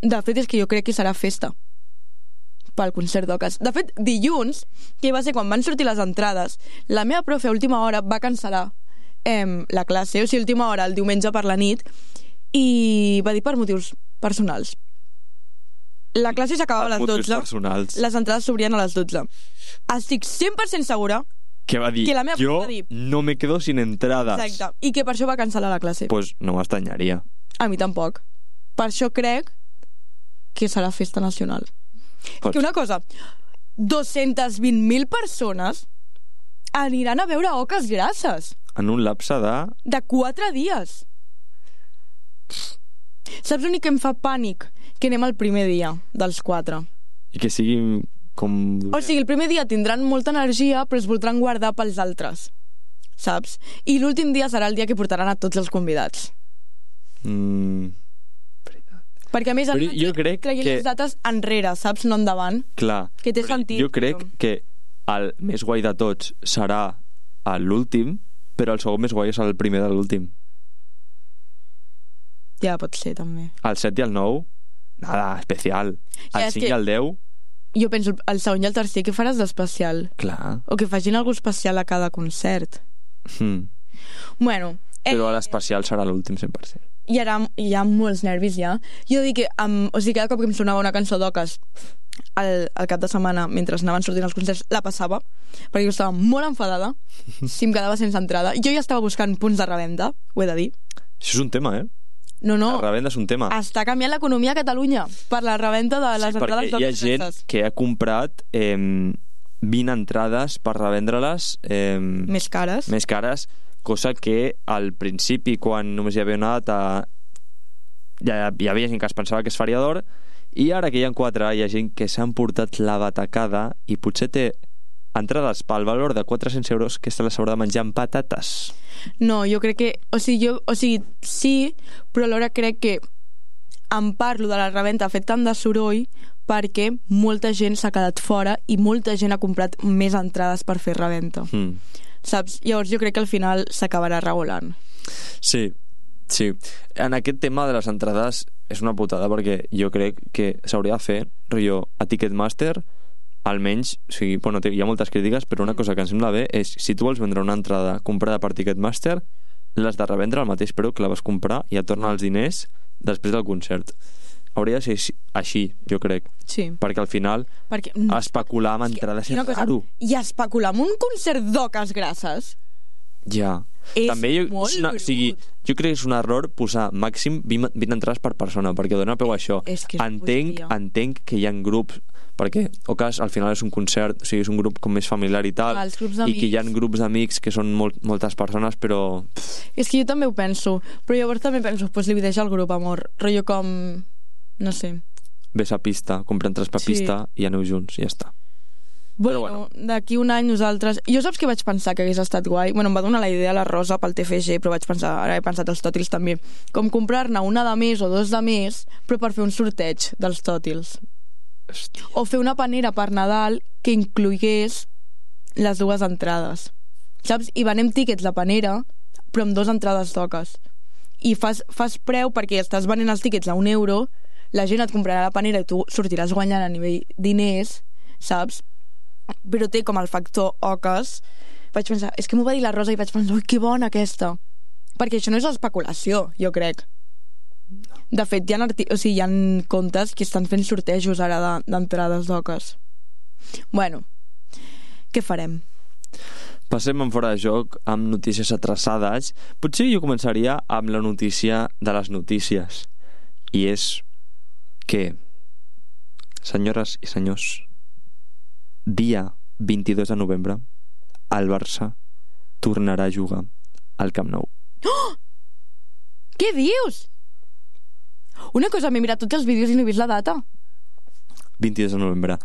De fet, és que jo crec que serà festa pel concert d'Ocas. De fet, dilluns, que va ser quan van sortir les entrades, la meva profe a última hora va cancel·lar la classe, o sigui, a última hora, el diumenge per la nit, i va dir per motius personals. La classe s'acabava a les 12. Personals. Les entrades s'obrien a les 12. Estic 100% segura que va dir, que la meva jo va dir, no me quedo sin entradas. exacte, i que per això va cancel·lar la classe. Pues no m'estanyaria. A mi tampoc. Per això crec que serà festa nacional. Pots. Que una cosa, 220.000 persones aniran a veure Oques Grasses En un lapse de 4 dies. Saps l'únic que em fa pànic? Que anem el primer dia dels 4. I que sigui com... O sigui, el primer dia tindran molta energia, però es voldran guardar pels altres, saps? I l'últim dia serà el dia que portaran a tots els convidats. Perquè a més Però jo crec traient que... les dates enrere, saps? No endavant. Clar. Que té sentit. Jo crec que el més guai de tots serà l'últim, però el segon més guai és el primer de l'últim. Ja, pot ser, també. El 7 i el 9, nada, especial. El 5 i el 10... Jo penso, el segon i el tercer, què faràs d'especial? Clar. O que facin alguna especial a cada concert. Bueno... Però l'especial serà l'últim 100%. I ara hi ha molts nervis ja. Jo dic que, o sigui, cada cop que em sonava una cançó d'Oques al cap de setmana, mentre anaven sortint els concerts, la passava, perquè jo estava molt enfadada si em quedava sense entrada. Jo ja estava buscant punts de revenda, ho he de dir. Això és un tema, No. La revenda és un tema. Està canviant l'economia a Catalunya per la revenda de les entrades perquè hi ha gent que ha comprat 20 entrades per revendre-les més cares, cosa que al principi, quan només hi havia una data, ja hi havia gent que es pensava que es faria d'or, i ara que hi ha 4 hi ha gent que s'han portat la batacada i potser té entrades pel valor de 400 euros que se les haurà de menjar amb patates. No, jo crec que... O sigui, sí, però alhora crec que em parlo de la reventa ha fet tant de soroll perquè molta gent s'ha quedat fora i molta gent ha comprat més entrades per fer reventa. Saps? Llavors jo crec que al final s'acabarà regulant. Sí. En aquest tema de les entrades és una putada perquè jo crec que s'hauria de fer rotllo a Ticketmaster, almenys, o sigui, bueno, hi ha moltes crítiques, però una cosa que em sembla bé és si tu vols vendre una entrada comprada per Ticketmaster, l'has de revendre al mateix preu que la vas comprar i et torna els diners després del concert. Hauria de ser així, jo crec. Sí. Perquè al final especular amb entrades és raro. I especular amb un concert d'Oques Grasses ja. és també molt brut. Jo crec que és un error posar màxim 20 entrades per persona, perquè dona peu a això. Entenc que hi ha grups, perquè Oques al final és un concert, o sigui, és un grup com més familiar i tal, i que hi ha grups d'amics que són moltes persones, però... És que jo també ho penso, però llavors també penso, pues li deixo el grup, amor, rotllo com... no sé. Ves a pista, compra entrades per pista i aneu junts, i ja està. Bueno, d'aquí un any nosaltres... Jo saps que vaig pensar que hagués estat guai? Bueno, em va donar la idea la Rosa pel TFG, però vaig pensar, ara he pensat els tòtils també, com comprar-ne una de més o 2 de més, però per fer un sorteig dels tòtils. O fer una panera per Nadal que inclogués les 2 entrades, saps? I venem tíquets de panera però amb 2 entrades d'Oques i fas preu perquè estàs venent els tíquets a €1, la gent et comprarà la panera i tu sortiràs guanyant a nivell diners, saps? Però té com el factor Oques. Vaig pensar, és que m'ho va dir la Rosa i vaig pensar, ui, que bona aquesta, perquè això no és especulació, jo crec. De fet, hi ha comptes que estan fent sortejos ara d'entrades d'Oques. Bueno, què farem? Passem en fora de joc amb notícies atrasades. Potser jo començaria amb la notícia de les notícies. I és que, senyores i senyors, dia 22 de novembre, el Barça tornarà a jugar al Camp Nou. Oh! Què dius? Una cosa, m'he mirat tots els vídeos i no he vist la data. 22 de novembre.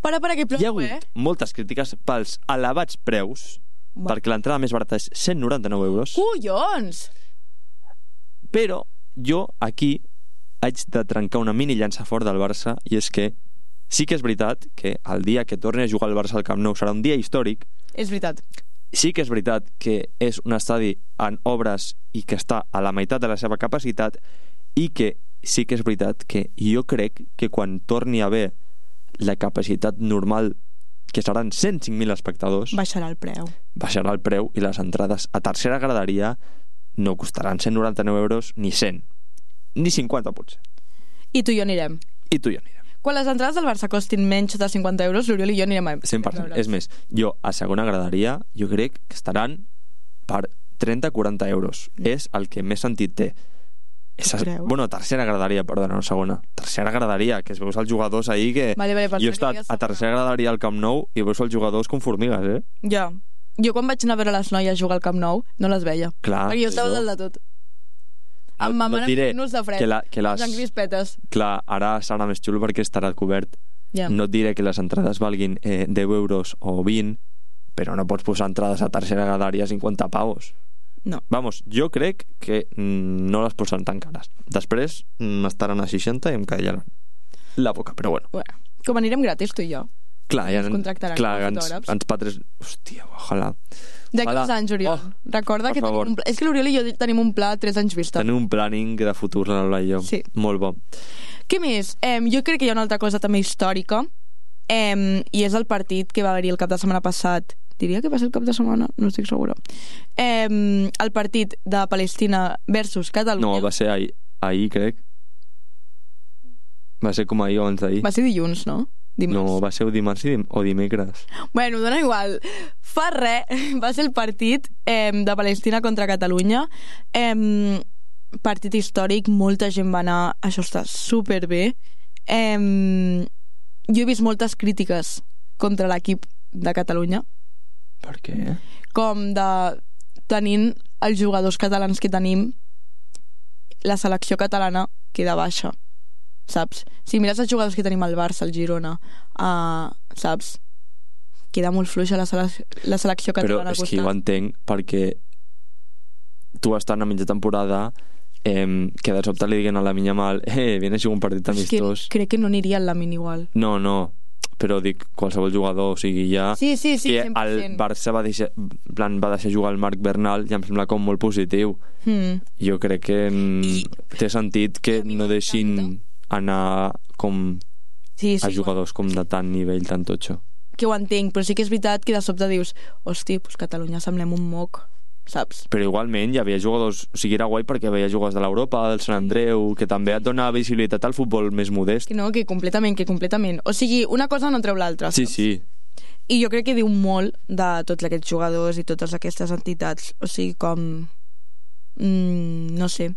Para, que plou, hi ha hagut moltes crítiques pels elevats preus, perquè l'entrada més barata és 199 euros. Collons! Però jo aquí haig de trencar una mini llança fort del Barça, i és que sí que és veritat que el dia que torni a jugar el Barça al Camp Nou serà un dia històric. És veritat. sí que és veritat que és un estadi en obres i que està a la meitat de la seva capacitat, i que sí que és veritat que jo crec que quan torni a haver la capacitat normal, que seran 105.000 espectadors, Baixarà el preu i les entrades a tercera graderia no costaran 199 euros ni 100, ni 50 potser. I tu i jo anirem. Quan les entrades del Barça costin menys de 50 euros, l'Oriol i jo anirem a... 100%. És més, jo a segona graderia jo crec estaran per 30-40 euros. És el que més sentit té. Bueno, tercera graderia, perdona, no segona. Tercera graderia, que es veus els jugadors ahir que... Vale, jo he estat a tercera graderia al Camp Nou i veus els jugadors com formigues, eh? Ja. Jo quan vaig anar a veure les noies jugar al Camp Nou no les veia. Clar, perquè jo estava dalt de tot. Amb ma mare fent-nos de fred. En crispetes. Clar, ara serà més xulo perquè estarà cobert. Yeah. No et diré que les entrades valguin 10 euros o 20, però no pots posar entrades a tercera graderia a 50 pavos. No. Vamos, jo crec que no les posaran tan cares. Després estaran a 60 i em callaran la boca, però bueno. Com anirem gratis, tu i jo. Clar, ja ens contractaran. Clar, ens patres... Hòstia, ojalà. D'aquí 2 anys, Oriol. Recorda que tenim un pla. És que l'Oriol i jo tenim un pla a 3 anys vista. Tenim un planning de futur, la Lola i jo. Sí. Molt bo. Què més? Jo crec que hi ha una altra cosa també històrica, i és el partit que va haver-hi el cap de setmana passat. Diria que va ser el cap de setmana, no estic segura. El partit de Palestina versus Catalunya. No, va ser ahir, crec. Va ser com ahir o abans d'ahir. Va ser dilluns, no? Dimarts. No, va ser dimarts o dimecres. Bueno, dona igual. Fa res, va ser el partit de Palestina contra Catalunya. Partit històric, molta gent va anar, això està superbé. Jo he vist moltes crítiques contra l'equip de Catalunya. Per què? Com de tenint els jugadors catalans que tenim, la selecció catalana queda baixa, saps? Si mires els jugadors que tenim al Barça, al Girona, saps? Queda molt fluixa la selecció catalana. Però és que jo entenc, perquè tu estant a mitja temporada que de sobte li diguen a Lamine Yamal viene a jugar un partit amistós. Crec que no aniria al Lamine igual. No, però dic qualsevol jugador, o sigui, ja... Sí, que 100%. el Barça va deixar jugar el Marc Bernal i em sembla com molt positiu. Jo crec que té sentit que no deixin anar com a jugadors com de tant nivell, tan totxo. Que ho entenc, però sí que és veritat que de sobte dius hosti, pues Catalunya semblem un moc, saps? Però igualment hi havia jugadors, o sigui, era guai perquè veia jugadors de l'Europa, del Sant Andreu, que també et dona visibilitat al futbol més modest. Que completament. O sigui, una cosa no treu l'altra. Sí. I jo crec que diu molt de tots aquests jugadors i totes aquestes entitats. O sigui, com... no sé...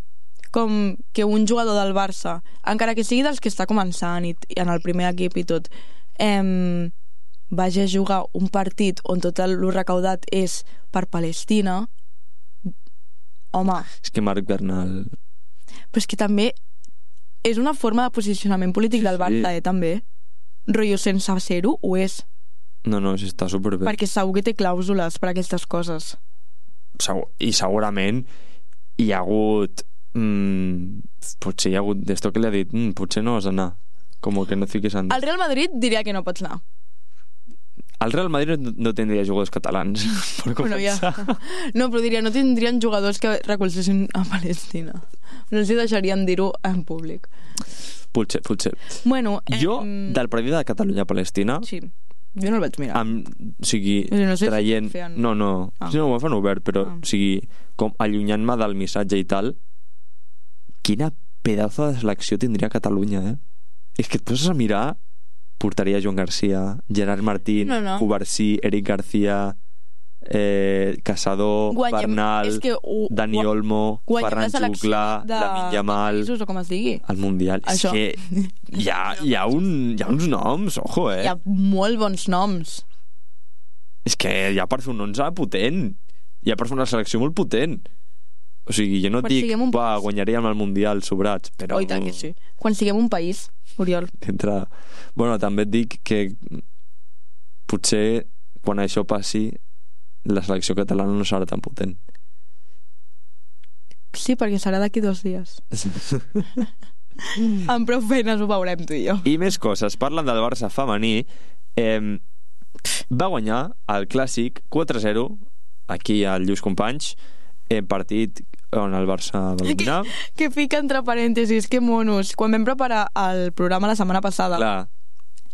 com que un jugador del Barça, encara que sigui dels que està començant i en el primer equip i tot, vagi a jugar un partit on tot el recaudat és per Palestina, home... És que Marc Bernal... Però és que també és una forma de posicionament polític del Barça, també. Rotllo, sense ser-ho, ho és. No, està superbé. Perquè segur que té clàusules per aquestes coses. I segurament hi ha hagut... potser hi ha hagut d'esto que li ha dit potser no has d'anar, com que no fiquis en... El Real Madrid diria que no pots anar. El Real Madrid no tindria jugadors catalans per començar. No, però diria, no tindrien jugadors que recolzessin a Palestina. No els deixarien dir-ho en públic. Potser. Bueno, jo, del partit de Catalunya-Palestina... Sí, jo no el vaig mirar. O sigui, traient... No, si no ho fan obert, però o sigui, com allunyant-me del missatge i tal, quina pedazo de selecció tindria Catalunya, És que et poses a mirar, portaria Joan Garcia, Gerard Martín, Covarsí, Eric García, Casado, Bernal, Dani Olmo, Ferran Xuclà, Lamine Yamal, o com es digui, el Mundial. Això. És que hi ha uns noms, ojo, Hi ha molt bons noms. És que hi ha per fer un 11 potent, hi ha per fer una selecció molt potent. O sigui, jo no et dic guanyaríem el Mundial sobrats, però... Oh, i tant que sí. Quan siguem un país, Oriol. Bueno, també et dic que potser quan això passi la selecció catalana no serà tan potent. Sí, perquè serà d'aquí 2 dies. Amb prou feines ho veurem tu i jo. I més coses, parlen del Barça femení. Va guanyar el Clàssic 4-0 aquí al Lluís Companys, partit on el Barça va dominar. Que fica entre parèntesis, que monos. Quan vam preparar el programa la setmana passada, Clar,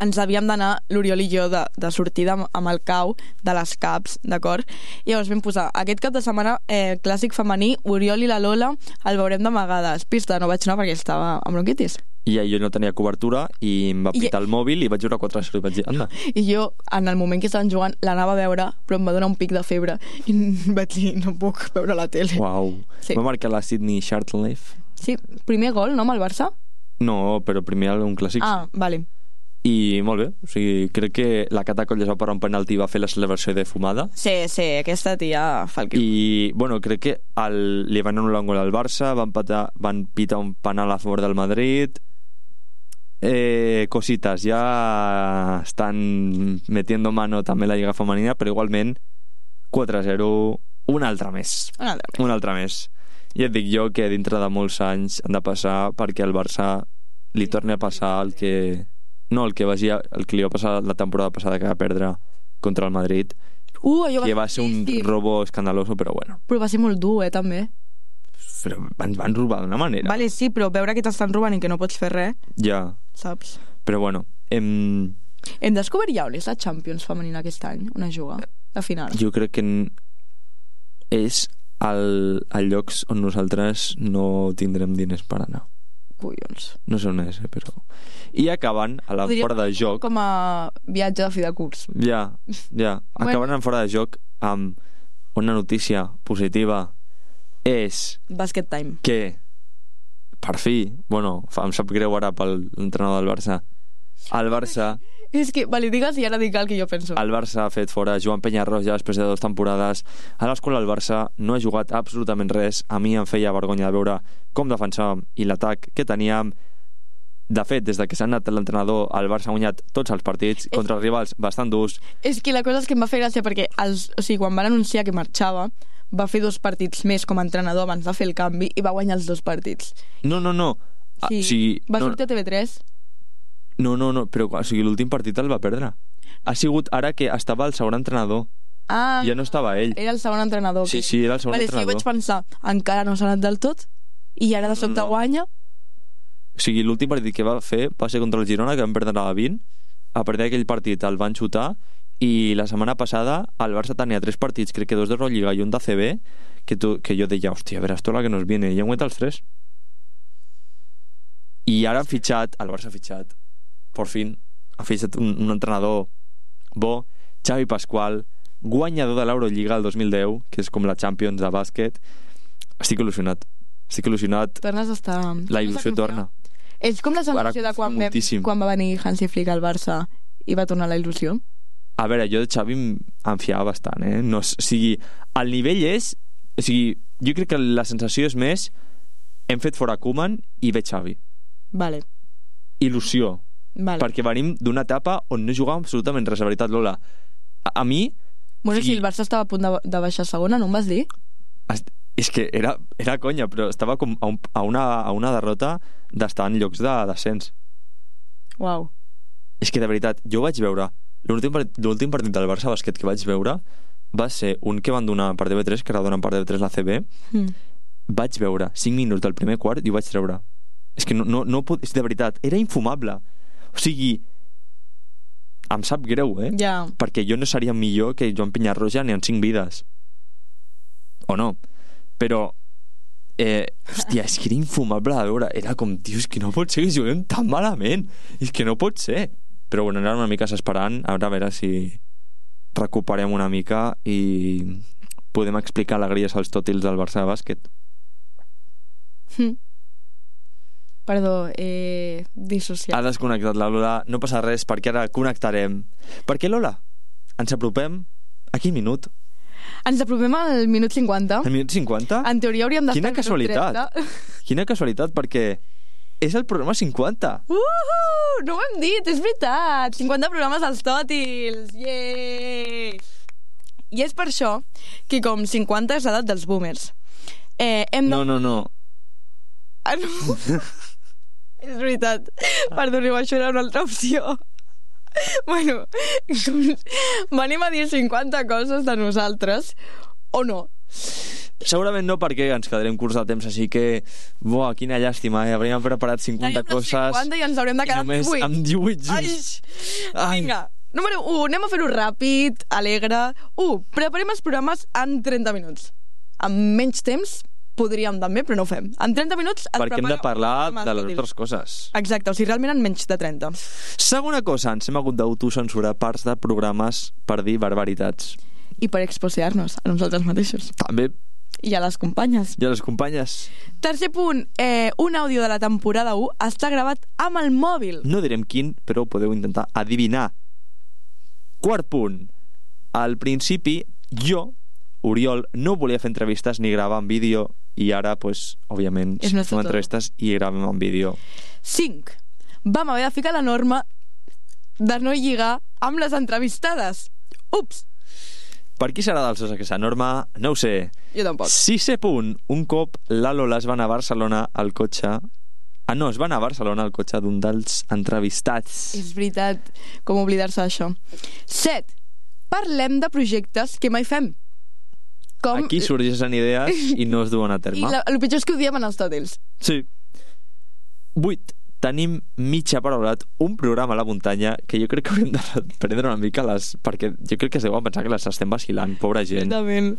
ens havíem d'anar, l'Oriol i jo, de sortida amb el cau de les caps, d'acord? I llavors vam posar aquest cap de setmana clàssic femení, Oriol i la Lola el veurem d'amagades. Pista, no vaig anar perquè estava amb bronquitis. i jo no tenia cobertura i em va pitar el mòbil i vaig jugar 4-0 i vaig dir, anda. I jo, en el moment que estaven jugant, l'anava a veure, però em va donar un pic de febre i vaig dir, no puc veure la tele. Uau. Sí. Va marcar la Sydney Charlton-Leaf? Sí, primer gol, no, amb el Barça? No, però primer un clàssic. Ah, vale. I molt bé, o sigui, crec que la Cata Colles va parar un penalti i va fer la celebració de fumada. Sí, aquesta tia fa el que... I, bueno, crec que li van anul·lar un gol al Barça, van pitar un penal a favor del Madrid. Cositas, ja estan metiendo mano també la Lliga Femenina, però igualment 4-0, un altre més. Un altre més. I et dic jo que dintre de molts anys han de passar perquè el Barça li torni a passar el que li va passar la temporada passada, que va perdre contra el Madrid, que va ser un robo escandaloso, però bueno. Però va ser molt dur, també. Però van robar d'una manera. Vale, sí, però veure que t'estan robant i que no pots fer res, ja, saps? però bueno, Hem descobert ja on és la Champions femenina aquest any, on es juga, la final. jo crec que és al llocs on nosaltres no tindrem diners per anar. Collons. No sé on és, però... I acaben a la fora de joc... Com a viatge de fi de curs. Ja. Acaben en fora de joc amb una notícia positiva. És Basket time. que, per fi, bueno, em sap greu ara pel entrenador del Barça, el Barça... És que, vale, digues i ara dic el que jo penso. El Barça ha fet fora Joan Peñarroya després de 2 temporades a les quals el Barça no ha jugat absolutament res. A mi em feia vergonya de veure com defensàvem i l'atac que teníem. De fet, des de que s'ha anat l'entrenador, el Barça ha guanyat tots els partits contra rivals bastant durs. És que la cosa és que em va fer gràcia perquè quan van anunciar que marxava va fer 2 partits més com a entrenador abans de fer el canvi i va guanyar els 2 partits. No. Sí, va sortir a TV3. No, però l'últim partit el va perdre. Ha sigut ara que estava el segon entrenador. Ah, ja no estava ell. Era el segon entrenador. Sí, era el segon entrenador. Sí, jo vaig pensar, encara no s'ha anat del tot i ara de sobte guanya. O sigui, l'últim partit que va fer va ser contra el Girona, que vam perdre a 20. A partir d'aquell partit el van xutar i la setmana passada el Barça tenia 3 partits, crec que 2 d'Eurolliga i un d'ACB, que jo deia, hòstia, veràs tota la que nos viene, i han guanyat els 3. I ara han fitxat, el Barça ha fitxat, por fin, ha fitxat un entrenador bo, Xavi Pascual, guanyador de l'Eurolliga el 2010, que és com la Champions de bàsquet. Estic il·lusionat. Tornes a estar... La il·lusió torna. És com la sensació de quan va venir Hansi Flick al Barça i va tornar la il·lusió. A veure, jo de Xavi em fiava bastant, No, o sigui, el nivell és... O sigui, jo crec que la sensació és més hem fet fora Koeman i ve Xavi. Vale. Il·lusió. Vale. Perquè venim d'una etapa on no jugàvem absolutament res, la veritat, Lola. A mi... Bueno, si el Barça estava a punt de baixar segona, no em vas dir? És que era conya, però estava com a una derrota d'estar en llocs de descens. Uau. És que, de veritat, jo vaig veure... L'últim partit del Barça bàsquet que vaig veure va ser un que van donar per TV3, que ara donen per TV3 la CB. Vaig veure 5 minuts del primer quart i ho vaig treure. És que no pot... És de veritat, era infumable. O sigui, em sap greu, Ja. Perquè jo no seria millor que Joan Peñarroya ni en 5 vides. O no? Però hòstia, és que era infumable de veure. Era com, tio, és que no pot ser que juguem tan malament. És que no pot ser. Però bueno, era una mica esperant a veure si recuperem una mica i podem explicar alegries als tòtils del Barça de bàsquet. Perdó, dissociat. Ha desconnectat la Lola, no passa res perquè ara connectarem. Perquè, Lola, ens apropem a quin minut? Ens apropem al minut 50. Al minut 50? En teoria hauríem d'estar... Quina casualitat. Quina casualitat, perquè és el programa 50. No ho hem dit, és veritat. 50 programes als tòtils. Yeah! I és per això que com 50 és l'edat dels boomers. No. Ah, no? És veritat. Perdoneu, això era una altra opció. Bueno, venim a dir 50 coses de nosaltres, O no? Segurament no, perquè ens quedarem curts de temps, així que... Buah, quina llàstima, Hauríem preparat 50 coses... 50 i ens haurem de quedar només 18. amb 18 junts. Ai. Vinga, número 1, anem a fer-ho ràpid, alegre. 1, preparem els programes en 30 minuts. Amb menys temps podríem també, però no ho fem. En 30 minuts es Perquè hem de parlar de les útils. altres coses. Exacte, o sigui, realment en menys de 30. Segona cosa, ens hem hagut d'autocensurar parts de programes per dir barbaritats. I per exposear-nos a nosaltres mateixos. També, I a les companyes. i a les companyes. Tercer punt, un àudio de la temporada 1 està gravat amb el mòbil. No direm quin, però podeu intentar adivinar. Quart punt. Al principi, jo, Oriol, no volia fer entrevistes ni gravar en vídeo i ara, pues, òbviament, És nuestro fem todo. entrevistes i gravem en vídeo. 5. Vam haver de ficar la norma de no lligar amb les entrevistades. Ups, Per qui serà dels dos aquesta norma? No ho sé. jo tampoc. Sisè punt. Un cop la Lola es va anar a Barcelona al cotxe... no, es va anar a Barcelona al cotxe d'un dels entrevistats. És veritat, com oblidar-se d'això. 7. Parlem de projectes que mai fem. Com... Aquí sorgeixen idees i no es duen a terme. I el pitjor és que ho diem en els tòtils. Sí. 8. Tenim mitja paraulat un programa a la muntanya que jo crec que hauríem de prendre una mica les... perquè jo crec que es deuen pensar que les estem vacilant, pobra gent. Exactament.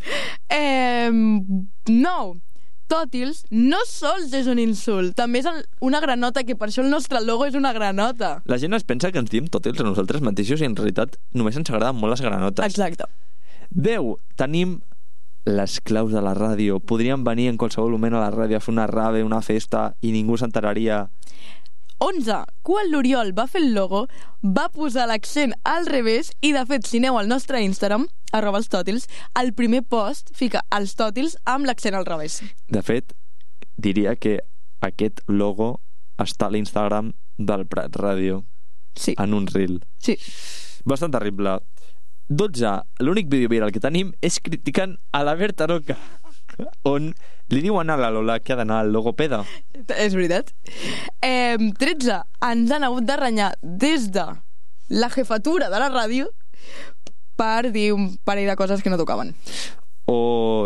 9. Tòtils no sols és un insult, també és una granota, que per això el nostre logo és una granota. La gent es pensa que ens diem tòtils a nosaltres mateixos i en realitat només ens agraden molt les granotes. Exacte. 10. Tenim les claus de la ràdio. Podríem venir en qualsevol moment a la ràdio a fer una rave, una festa i ningú s'enteraria. 11. Quan l'Oriol va fer el logo, va posar l'accent al revés i, de fet, si aneu al nostre Instagram, @elstòtils, al primer post fica els tòtils amb l'accent al revés. De fet, diria que aquest logo està a l'Instagram del Prat Ràdio, Sí, en un reel. sí. Bastant terrible. 12. L'únic vídeo viral que tenim és criticant a la Berta Roca, on li diuen a la Lola que ha d'anar al logopeda. És veritat. 13. Ens han hagut de renyar des de la jefatura de la ràdio per dir un parell de coses que no tocaven.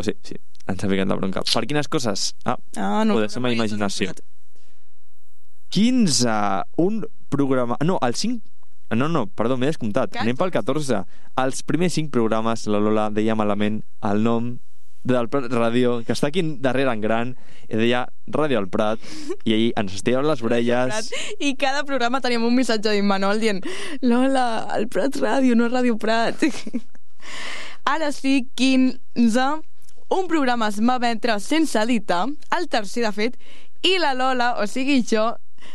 Sí, ens ha ficat la bronca. Per quines coses? No. O de la meva imaginació. 15. Un programa... No, el 5... No, perdó, m'he descomptat. Anem pel 14. Els primers 5 programes, la Lola deia malament el nom del Prat Ràdio, que està aquí darrere en gran, i deia Ràdio al Prat, i ahir ens estiraven les orelles. I cada programa teníem un missatge d'Immanol dient Lola, el Prat Ràdio, no Ràdio Prat. Ara sí, 15. Un programa es va emetre sense editar, el tercer de fet, i la Lola, o sigui jo,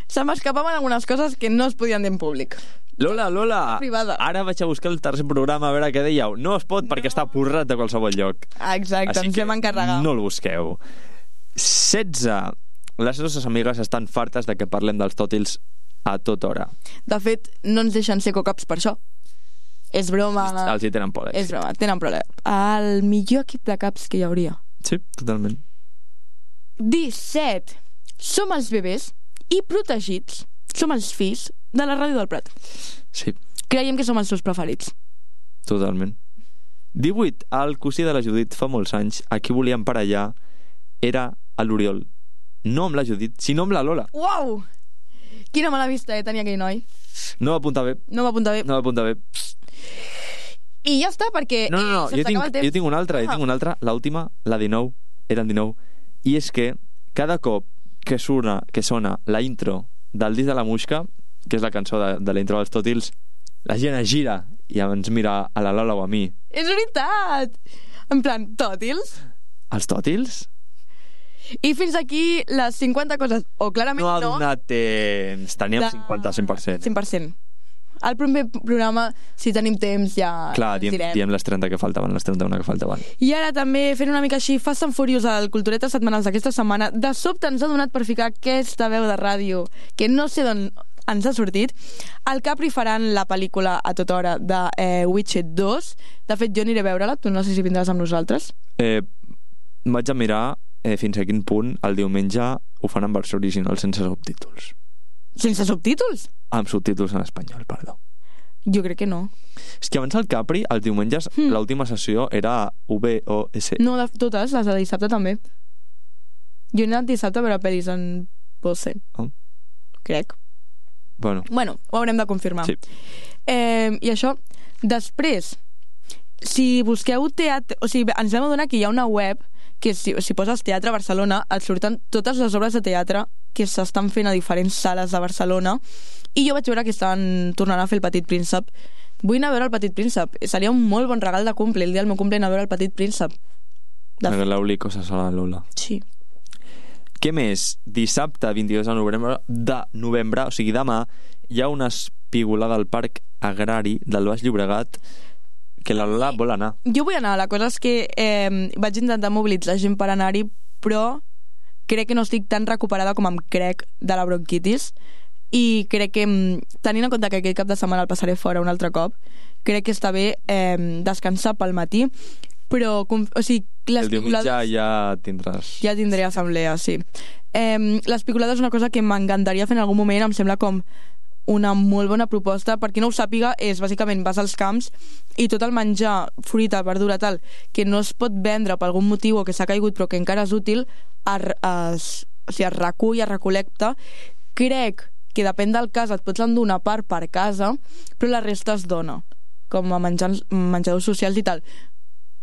se m'escapaven algunes coses que no es podien dir en públic. Lola, Privada. ara vaig a buscar el tercer programa a veure què dèieu. No es pot perquè està porrat de qualsevol lloc. Exacte, Així ens que vam encarregar. no el busqueu. 16. Les nostres amigues estan fartes de que parlem dels tòtils a tota hora. De fet, no ens deixen ser cocaps per això. És broma. Els hi tenen por. És broma, tenen problema. El millor equip de caps que hi hauria. Sí, totalment. 17. Som els bebès i protegits. Som els fills de la Ràdio del Prat. Sí, Creiem que som els seus preferits. totalment. 18. El cosí de la Judit fa molts anys, a qui volien per allà, era a l'Oriol. No amb la Judit, sinó amb la Lola. Uau! Quina mala vista tenia aquell noi. No va apuntar bé. No va apuntar bé. No va apuntar bé. I ja està, perquè No, se'ns acaba el temps. jo tinc una altra, l'última, la 19, era el 19, i és que cada cop que sona la intro del disc de la Muixca, que és la cançó de la intro dels Tòtils, la gent es gira i ens mira a la Lola o a mi. És veritat! En plan, tòtils. Els Tòtils? I fins aquí les 50 coses, o clarament No ha no. donat temps. Teníem 50, 100%. 100%. Al primer programa, si tenim temps, ja Clar, diem les 30 que faltaven, les 31 que faltaven. I ara també, fent una mica així, Fast and Furious al Culturetes Setmanals d'aquesta setmana, de sobte ens ha donat per ficar aquesta veu de ràdio, que no sé d'on ens ha sortit. Al Capri faran la pel·lícula a tota hora de Witcher 2. De fet, jo aniré a veure-la, tu no sé si vindràs amb nosaltres. Vaig a mirar fins a quin punt el diumenge ho fan en versió original sense subtítols. Sense subtítols? Amb subtítols en espanyol, perdó. Jo crec que no. És que abans el Capri, els diumenges, l'última sessió era VOS. No, totes, les de dissabte també. Jo he anat dissabte a veure pel·lis en Bose. Oh. Crec. Bueno, ho haurem de confirmar. Sí. I això, després, si busqueu teatre... O sigui, ens vam adonar que hi ha una web que si poses Teatre Barcelona et surten totes les obres de teatre que s'estan fent a diferents sales de Barcelona, i jo vaig veure que estan tornant a fer El Petit Príncep. Vull anar a veure El Petit Príncep. Seria un molt bon regal de cumple, el dia del meu cumple, anar a veure El Petit Príncep. regaleu-li coses a la Lola. Sí. Què més? Dissabte 22 de novembre, o sigui demà, hi ha una espigolada al Parc Agrari del Baix Llobregat que la Lola vol anar. Jo vull anar, la cosa és que vaig intentar mobilitzar gent per anar-hi, però crec que no estic tan recuperada com em crec de la bronquitis, i crec que, tenint en compte que aquest cap de setmana el passaré fora un altre cop, crec que està bé descansar pel matí, però, o sigui, les el diumenge ja tindràs... Ja tindré assemblea, sí. L'espicolada és una cosa que m'encantaria fer en algun moment, em sembla com una molt bona proposta. Per qui no ho sàpiga, és bàsicament vas als camps i tot el menjar, fruita, verdura, tal, que no es pot vendre per algun motiu o que s'ha caigut però que encara és útil, es recull, es recol·lecta. Crec que depèn del cas et pots endur una part per casa, però la resta es dona com a menjadors socials i tal.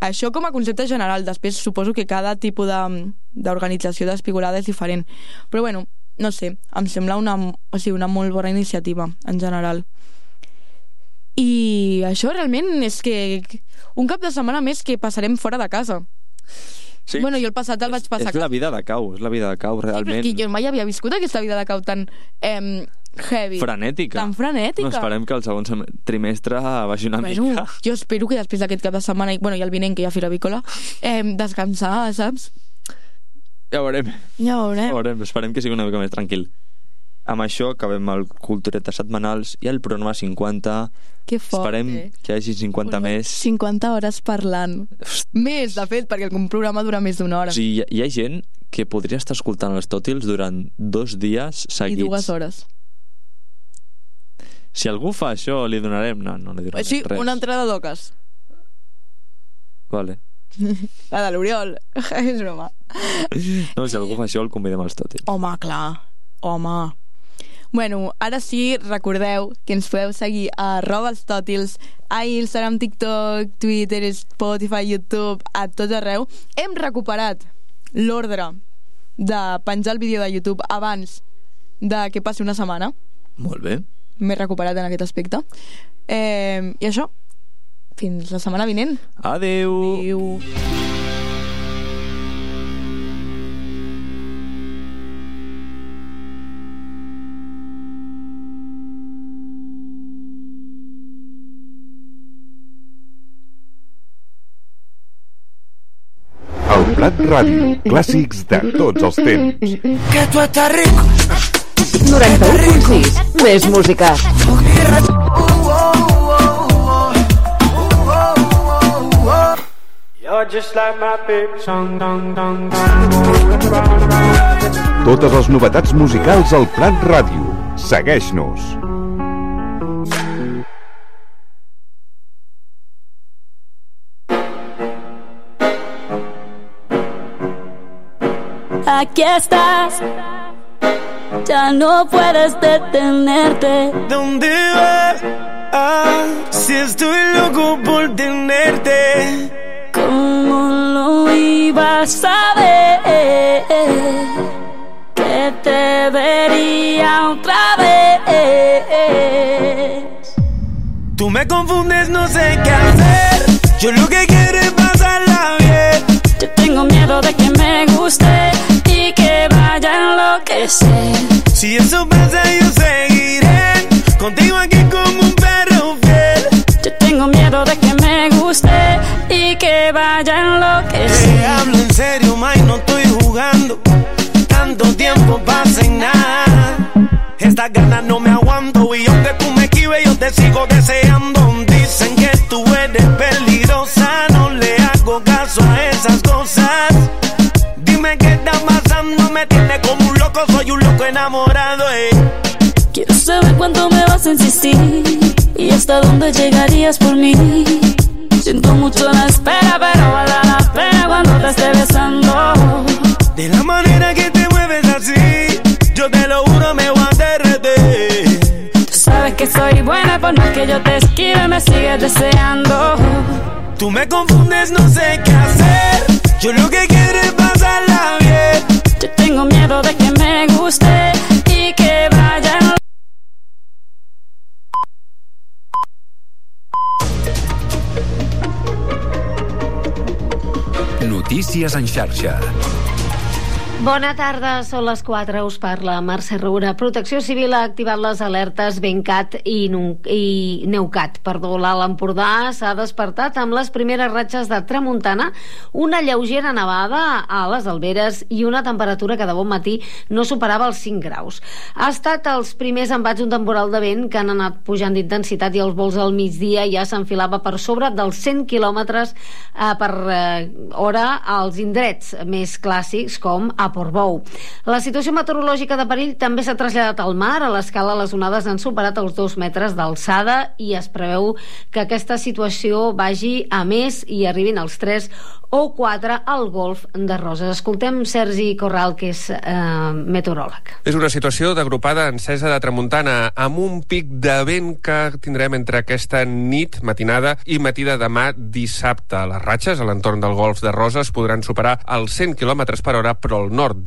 Això com a concepte general. Després suposo que cada tipus d'organització d'espigolada és diferent, però bueno, no sé, em sembla una molt bona iniciativa en general. I això realment és que un cap de setmana més que passarem fora de casa. Sí. Bueno, jo el passat el vaig passar... És la vida de cau, realment. Sí, jo mai havia viscut aquesta vida de cau tan heavy. Frenètica. Tan frenètica. No, esperem que el segon trimestre vagi una mica. Jo espero que després d'aquest cap de setmana, bueno, i el vinent, que hi ha Fira Avícola, descansar, saps? Ja ho veurem. Ja ho veurem. Esperem que sigui una mica més tranquil. Amb això acabem el Culturetes setmanals i el programa 50. Que fort, Esperem que hi hagi 50 més. 50 hores parlant. Més, de fet, perquè el programa dura més d'una hora. O sigui, hi ha gent que podria estar escoltant els tòtils durant 2 dies seguits. I 2 hores. Si algú fa això, li donarem... No li donarem sí, res. una entrada d'oques. Vale. La de l'Oriol. És broma. No, si algú fa això, el convidem als tòtils. Home, clar. Home. Bueno, ara sí, recordeu que ens podeu seguir a @elstòtils, a Instagram, TikTok, Twitter, Spotify, YouTube, a tots arreu. Hem recuperat l'ordre de penjar el vídeo de YouTube abans de que passi una setmana. Molt bé. M'he recuperat en aquest aspecte. I això, fins la setmana vinent. Adeu. Adeu. El Plat Ràdio, clàssics de tots els temps. Que tu estàs rico. 91.6, més música. Totes les novetats musicals al Plat Ràdio. Segueix-nos. Aquí estás, ya no puedes detenerte. ¿Dónde vas? Si estoy loco por tenerte. ¿Cómo lo ibas a ver? Que te vería otra vez. Tú me confundes, no sé qué hacer. Yo lo que quiero es pasarla bien. Yo tengo miedo de que me guste y que vaya a enloquecer. Si eso pasa yo seguiré contigo aquí como un perro fiel. Yo tengo miedo de que me guste y que vaya a enloquecer. Te hablo en serio, May, no estoy jugando. Tanto tiempo pasa y nada. Estas ganas no me aguanto y aunque tú me esquives yo te sigo deseando. Dicen que tú eres peligrosa, no le hago caso a esas cosas. Dime qué está pasando, me tiene como un loco, soy un loco enamorado. Quiero saber cuánto me vas a insistir y hasta dónde llegarías por mí. Siento mucho la espera, pero vale la pena cuando te esté besando. De la manera que te mueves así, yo te lo juro me voy a derretir. Tú sabes que soy buena, por más que yo te esquive me sigues deseando. Tú me confundes, no sé qué hacer. Yo lo que quiero es pasarla bien. Yo tengo miedo de que me guste y que vaya. Notícies en xarxa. Bona tarda, són les 4, us parla Mercè Roura. Protecció Civil ha activat les alertes Bencat i Neucat. L'Alt Empordà s'ha despertat amb les primeres ratxes de tramuntana, una lleugera nevada a les Alberes i una temperatura que de bon matí no superava els 5 graus. Ha estat els primers embats d'un temporal de vent que han anat pujant d'intensitat i els vols al migdia ja s'enfilava per sobre dels 100 km per hora als indrets més clàssics com a Portbou. La situació meteorològica de perill també s'ha traslladat al mar. A l'escala les onades han superat els 2 metres d'alçada i es preveu que aquesta situació vagi a més i arribin als 3 o 4 al golf de Roses. Escoltem Sergi Corral, que és meteoròleg. És una situació d'agrupada encesa de tramuntana amb un pic de vent que tindrem entre aquesta nit, matinada i matí de demà dissabte. Les ratxes a l'entorn del golf de Roses podran superar els 100 km per hora, però al nord de